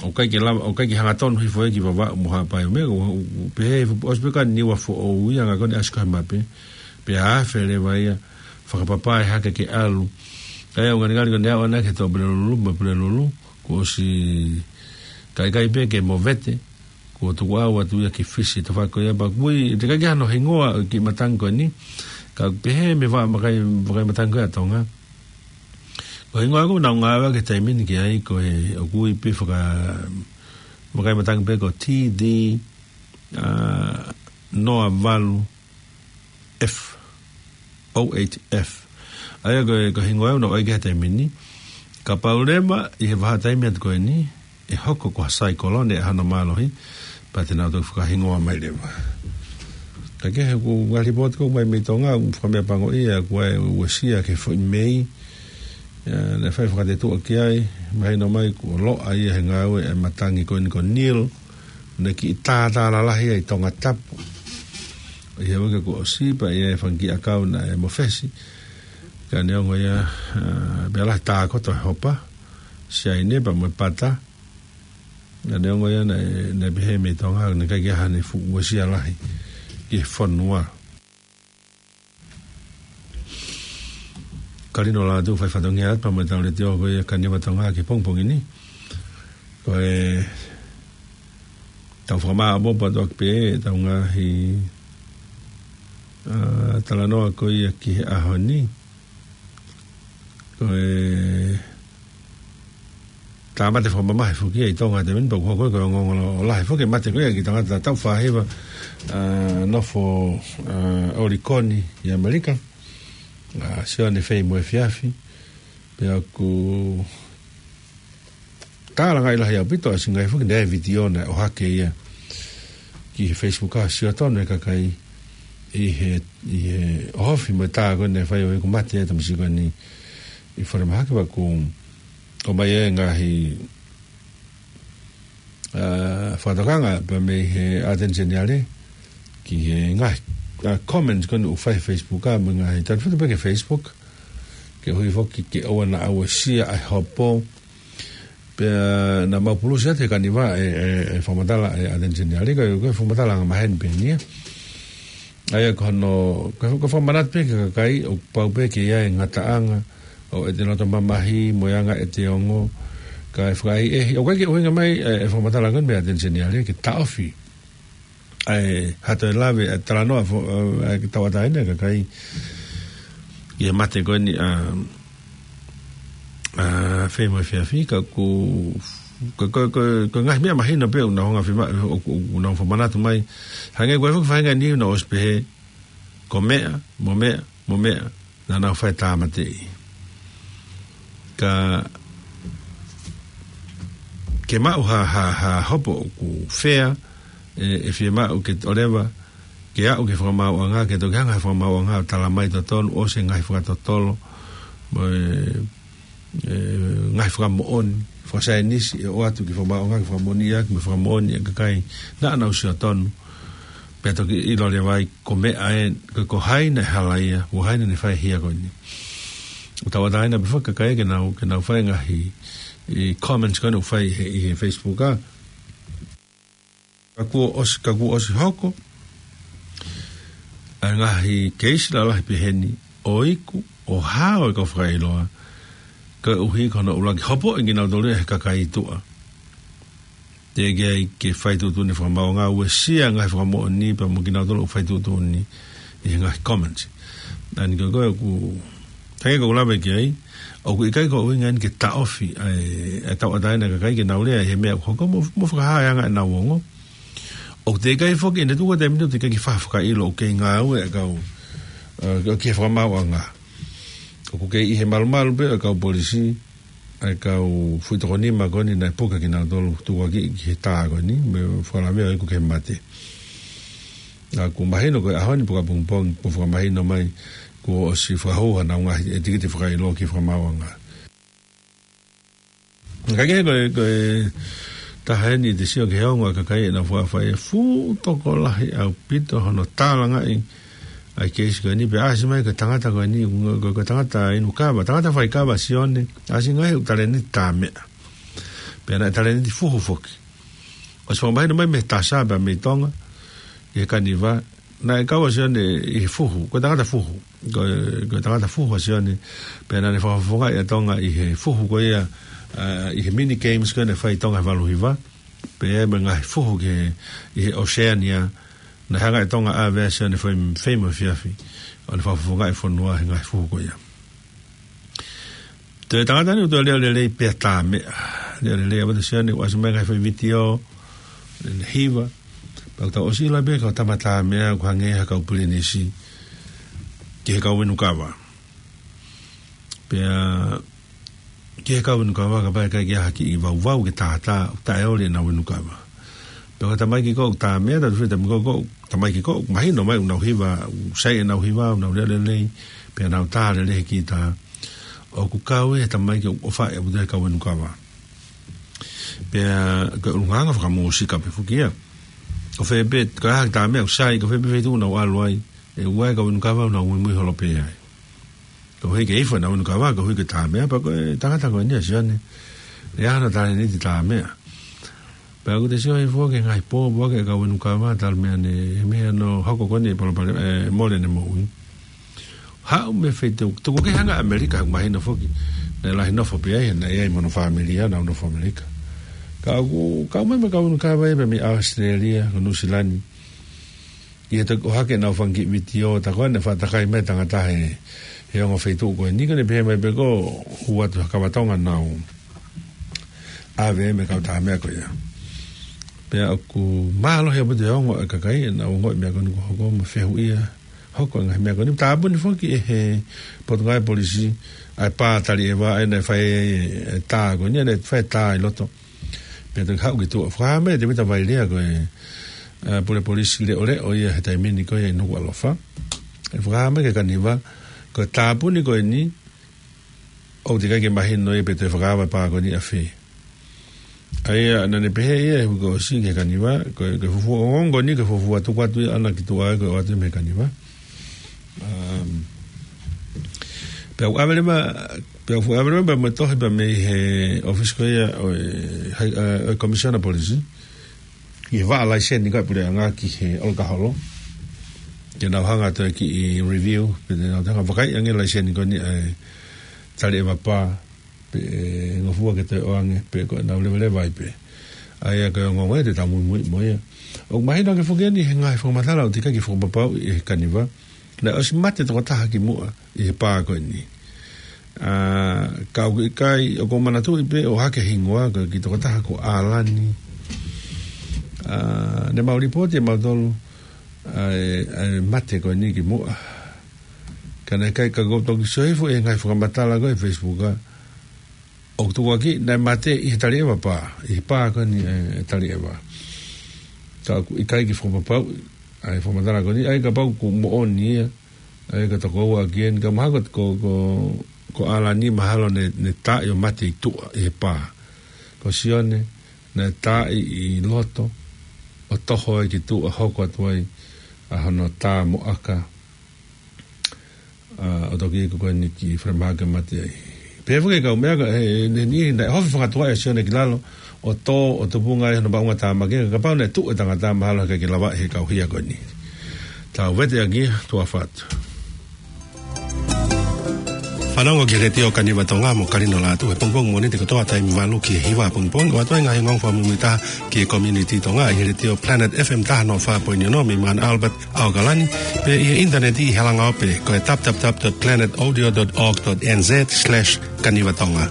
ʻOku ʻikai ke lava, ʻoku ʻikai ke hangatonu hifo ia ki Vavaʻu mo Haʻapai mo e meʻa, ʻoku, ʻoku pehē, ʻosi pē ko ē ʻa Niua Foʻou ia, anga ko ē ʻene ʻasi ko ē he mape, pea afe leva ia, fakapapae hake ke ʻalu. ʻA ia ʻoku ngalingali ko ʻene aʻu ʻana ki he Tuʻapulelulu, mo Pulelulu, kuo ʻosi kae ʻikai pē ke movete, kuo tuku ʻau atu ia ki Fisi, tafaʻaki ko ia pea ʻoku ʻikai ke ʻi ai hano hingoa ʻo e kiʻi matangi ko eni, ka ʻoku pehē mei he vaʻa makai, vakai matangi ko ē ʻa Tonga. Ko e hingoa ʻoku nau ngāueʻaki he taimi ni ki ai ko e ʻoku ui pē faka-, vakai matangi pē ko T D, ʻa, noa valu F, O H F. ʻA ia ko e, ko e hingoa ʻoku nau ʻai ki ai he taimi ni. Kapau leva ʻi he vahaʻa taimi atu ko eni, ʻe hoko ko ha saikolone ʻa hono mālohi, pea te nau toki fakahingoa mai leva. Ka ko e, ʻoku ngaahi lipooti ʻoku ʻomai mei Tonga, ʻoku fakameʻapangoʻia, ʻoku ʻi ai e uesia ki he foʻi mei, ʻa, naʻe fai fakatetuʻa ki ai, mahino mai kuo loʻa ia he ngāue ʻa e matangi ko eni ko Neil, naʻe kiʻi tātā lalahi ai ʻi Tongatapu. ʻI he uike kuo ʻosi pea ʻi ai e fanga kiʻi ʻakau naʻe mofesi. Ka neongo ia, ʻa, pea lahi tākoto e hopa, siaine pea mo e pata. Ka neongo ia naʻe, naʻe pehē mei Tonga, naʻe ʻikai ke ʻi ai haʻane fuʻu uesia lahi ki he fonua. Kalino Lātū fai fatongia atu pea mo e tau leitiō ko ia Kaniva Tonga ki he pongipongi ni. Ko e tau fakamāʻopoʻopo atu ʻaki pē ʻetau ngaahi, ʻa, talanoa ko ia ki he ʻaho ni. Ko e tāmate fakamamahi foki ia ʻi Tonga he taimi ni pea ʻoku hoko ko e ongoongo lahi foki e mate ko ia ki he tangata taʻu fāhiva, ʻa, nofo, ʻa, ʻOlikoni ʻi ʻAmelika, ʻa, Sione Feimoefiafi, pea ʻoku tālangaʻi lahi ʻaupito ʻa Singai foki naʻe vitiō naʻe ʻohake ia ki he Facebook ʻa Siotonu e kakai ʻi he, ʻi he ʻohofi mo e tā ko ē naʻe fai ʻo ʻeku mate e tamasiʻi ko eni ʻi Falemahaki pea ʻoku ʻomai e ngaahi, ʻa, fakatokanga pea mei he ʻAteni Seniale ki he ngaahi, ʻa, comments ko eni ʻoku fai he Facebook ʻa, mo e ngaahi talifuta pē ki he Facebook. Ke ʻuhi foki ke ʻoua naʻa uesia ʻa e hopo. Pea naʻa mau pulusi atu he Kaniva e, e, e fakamatala e ʻAteni Seniale, ko e, ko e fakamatala angamaheni pē eni ia. ʻA ia ko hono, ko e, ko e fakamanatu pē ki he kakai ʻoku pau pē ke ʻi ai e ngataʻanga ʻo ʻete loto mamahi mo e anga ʻete ongo, kae fakaʻehiʻehi. ʻOku ʻikai ke ʻuhinga mai e, e fakamatala ko eni mei he ʻAteni Seniale ke taʻofi ʻa e, ha toe lave, ʻa e talanoa fo-, ʻa e tauʻatāina e kakai ʻi he mate ko eni ʻa, ʻa Feimoefiafi, ka ʻoku, ko, ko, ko, ko e ngaahi meʻa mahino pē ʻoku nau hanga fima-, ʻo, ʻo, ʻoku nau fakamanatu mai. Hangē ko e foki faʻahinga ni ʻoku nau ʻosi pehē, ko meʻa, mo meʻa, mo meʻa, naʻa nau fai tāmateʻi. Ka ke maʻu ha, ha, ha hopo ʻoku fair, ʻe, ʻe fiemaʻu ke ʻoleva, ke aʻu ki he fakamaauʻanga, ke toki hanga he fakamaauʻanga ʻo tala mai totonu, ʻosi e ngaahi fakatotolo, mo e, e, ngaahi fakamoʻoni fakasaienisi, ʻe ʻoatu ki he fakamaauʻanga ke fakamoʻoni ʻaki, mo e fakamoʻoni e kakai naʻa nau sio tonu. Pea toki ʻilo leva ai ko meʻa ē, ko, ko hai naʻe hala ia, ko hai naʻa ne fai e hia ko eni. ʻOku tauʻatāina pē foki e kakai ke nau, ke nau fai e ngaahi, e comments ko eni ʻoku fai he, ʻi he Facebook ʻa. Ka kuo ʻosi, ka kuo ʻosi hoko ʻa e ngaahi keisi lalahi peheni ʻo iku, ʻo hao e kau fakaʻiloa, koeʻuhi ko hono ʻuluaki hopoʻi kinautolu ia he kakai tuʻa. Teʻeki ai ke fai tuʻutuʻuni fakamaauʻanga, uesia e ngaahi fakamoʻoni pea mo kinautolu ʻoku fai tuʻutuʻuni ʻi he ngaahi comments. Naʻa ni ko e, ko e ʻoku, hangē ko ʻeku lave ki ai, ʻoku ʻikai ko e ʻuhinga eni ke taʻofi ʻa e, ʻa e tauʻatāina e kakai ke nau lea ʻi he meʻa ʻoku hoko mo, mo fakahā e anga ʻenau ongo. ʻOku teʻeki ai foki, ʻi he tuʻunga ko e taimi ni ʻoku teʻeki ai ke fakafakaʻilo ʻoku kei ngāue e kau, ʻa, ki he fakamaauʻanga. ʻOku kei ʻi he malumalu pē ʻa e kau polisi, ʻa e kau fuʻi toko nima ko eni naʻe puke kinautolu tukuakiʻi ki he tā ko eni, mo e fakalavea ʻo iku ki he mate. ʻA, ʻoku mahino ko e ʻaho ni pe ko e pongipongi, kuo fakamahino mai, kuo ʻosi fakahū hanau ngaahi tikite fakaʻilo ki he fakamaauʻanga. Ka ko e, ko e taha eni te u sio ki he ongo ʻa e kakai ʻenau fakaʻapaʻapa, fuʻu tokolahi ʻaupito hono tālangaʻi ʻa e keisi ko eni, pea ʻasi mai ko e tangata ko eni, ko, ko e tangata inu kava, tangata fai kava Sione, ʻasi ngaahi ʻū talēniti tā meʻa. Pea naʻe talēniti fuhu foki. ʻOsi fakamahino mai mei he Tasa pea mei Tonga, ʻi he Kaniva, naʻe kau ʻa Sione ʻi he fuhu, ko e tangata fuhu. Ko e, ko e tangata fuhu ʻa Sione, pea naʻa ne fakafofongaʻi ʻa Tonga ʻi he fuhu ko ia, ʻa, ʻi he mini games ko ia naʻe fai ʻi Tonga he valu hiva, pea mo e ngaahi fuhu ki he, ʻi he Oceania, naʻe hanga ʻe Tonga ʻo ʻave ʻa Sione fai, fai mo e efiafi, ʻo ne fakafofongaʻi e fonua he ngaahi fuhu ko ia. Toe tangata ni ʻoku toe leʻo lelei pea tā meʻa. Leʻo lelei ʻa Sione, ʻoku ʻasi mai ngaahi fai vitiō, ne hiva. Pea ʻoku tau ʻosi ʻilo pē ko e tama tā meʻa ʻoku hangē ha kau pilinisi ki he kau inu kava. Pea ki he kau inu kava kapau ʻe ʻikai ke ʻi ai ha kiʻi vauvau ke tātā, ʻoku taʻeoli ʻenau inu kava. Pea ko e tamaiki ko ē ʻoku tā meʻa, tau fie tamaiki ko ē, tamaiki ko ē ʻoku mahino mai ʻoku nau hiva, ʻoku sai ʻenau hiva, ʻoku nau leʻo lelei, pea nau tā lelei he kītā. ʻOku kau ʻi he tamaiki ʻoku ʻofaʻi ʻaupito ʻe he kau inu kava. Pea ko e ʻulungaanga fakamūsika pē foki ia. Ko fē pē, ko e hā ha tā meʻa ʻoku sai, ko fē pē feituʻu ʻoku nau ʻalu ai, ʻe ʻi ai e kau inu kava ʻoku nau muimui holo pē ai. Koeʻuhi ke ifo ʻenau inu kava, koeʻuhi ko e tā meʻa, pea ko e tangata ko eni ʻa Sione, ʻi ai hono talēniti tā meʻa. Pea ʻoku te sio hifo ki he ngaahi pōpoaki ʻa e kau inu kava, talu mei he meʻa naʻe hoko ko eni ʻi he palopalema, ʻe, mole ʻene moʻui. Haʻu mei he feituʻu, tuku kehe ange ʻa ʻAmelika, ʻoku mahino foki, naʻe lahi nofo pē ai, naʻe ʻi ai mo hono fāmili ia, nau nofo ʻAmelika. Ka ʻoku kau mai mo e kau inu kava ia pea mei ʻAositelēlia, ko Nuʻusila ni. ʻI he toki ʻohake ʻenau fanga kiʻi vitiō, tā ko ē naʻe fakatakai mai e tangata he, he ongo feituʻu ko eni, ko ʻene pehē mai pē ko e hū atu ha kava Tonga naʻa nau ʻave mei he kau tā meʻa ko ia. Pea ʻoku mālohi ʻaupito e ongo ʻa e kakai, ʻenau ongoʻi e meʻa ko eni kuo hoko mo e fehuʻi ia, hoko e ngaahi meʻa ko eni. Tāpuni foki ʻe he Potungāue Polisi ʻa e pā Taliʻeva, ʻa ia naʻe fai e tā ko eni, naʻe fai e tā ʻi loto. Pea toki haʻu ki tuʻa. Fakahā mai ʻe Tēvita Vailea ko e, ʻa, pule polisi leʻoleʻo ia he taimi ni ko ia ʻi Nukuʻalofa. ʻE fakahā mai ki he Kaniva, ko e tāpuni ko eni, ʻoku teʻeki ai ke mahino ia pe toe fakaava e pā ko eni ʻafē. ʻA ia naʻa ne pehē ia he uike kuo ʻosi ki he Kaniva, ko e, ko e fuofua ongoongo ko eni, ko e fuofua tuku atu ia ʻaʻana ki tuʻa ai ko e ʻoatu ia mei he Kaniva. Um, pea ʻoku ʻave leva, pea ʻoku ʻave leva, pea mo e tohi pea mei he ʻōfisi ko ia ʻo e, hai, ʻa, ʻo e Commissioner Polisi. Ki he vaʻa laiseni ko ē ʻa e puleʻanga ki he ʻolokaholo. Ke nau hanga atu ki he review, pe te nau hanga vakai ange laiseni ko eni ʻa e Taliʻeva pā, pe ʻe ngofua ke toe ʻoange, pe ko ʻenau leveleva ai pē. ʻA ia ko e ongoongo ia te tau muimui mo ia. ʻOku mahino ange foki eni he ngaahi fakamatala ʻoku teʻeki ai ke fakapapauʻi ʻe he Kaniva. Naʻe ʻosi mate tokotaha kimuʻa ʻi he pā ko eni. ʻA, ka ʻoku ʻikai, ʻoku ou manatuʻi pē ʻo hake hingoa, ko e kiʻi tokotaha ko ʻAlani. ʻA, naʻa mau lipooti ʻe mautolu, ʻa e, ʻa e mate ko eni kimuʻa. Ka naʻe ʻikai, ka ʻoku ou toki sio hifo he ngaahi fakamatala ko ē he Facebook, ʻa, ʻoku tukuakiʻi naʻe mate ʻi he Taliʻeva pā, ʻi he pā ko eni ʻa e Taliʻeva. Ka ʻoku ʻikai ke fakapapauʻi ʻa e fakamatala ko eni, ʻa ia kapau ʻoku moʻoni ia, ʻa ia ka tokoua ʻaki eni, ka mahalo ko, ko, ko, ko ʻAlani mahalo naʻe, naʻe taaʻi ʻo mate ʻi tuʻa ʻi he pā. Ko Sione, naʻe taaʻi ʻi loto, ʻo toho ai ki tuʻa hoko atu ai ʻa hono tā mo ʻaka. ʻA, ʻo toki iku ko eni ki Falemahaki ʻo mate ai. Pea foki e kau meʻa ka, he, he, he, naʻe hofi fakatuʻaʻi ʻa Sione ki lalo, ʻo tō, ʻo tupunga ai hono maʻungatāmaki, ka kapau naʻe tuʻu e tangata mahalo he ʻikai ke lava he kau hia ko eni. Tau vete ange ia, tuʻa ʻofa atu. Fanongo ki he Letiō Kaniva Tonga mo Kalino Lātū he pongipongi Mōnite kotoa taimi valu ki he hiva pongipongi, ʻo ʻoatu ai e ngaahi ongoongo fakamuimuitaha ki he community Tonga ʻi he Letiō Planet F M taha noa fā poini ono mei Mount Albert, ʻAokalani, pea ʻi he ʻinitaneti ʻi he langaope, ko e w w w dot planet audio dot org dot n z slash kaniva tonga.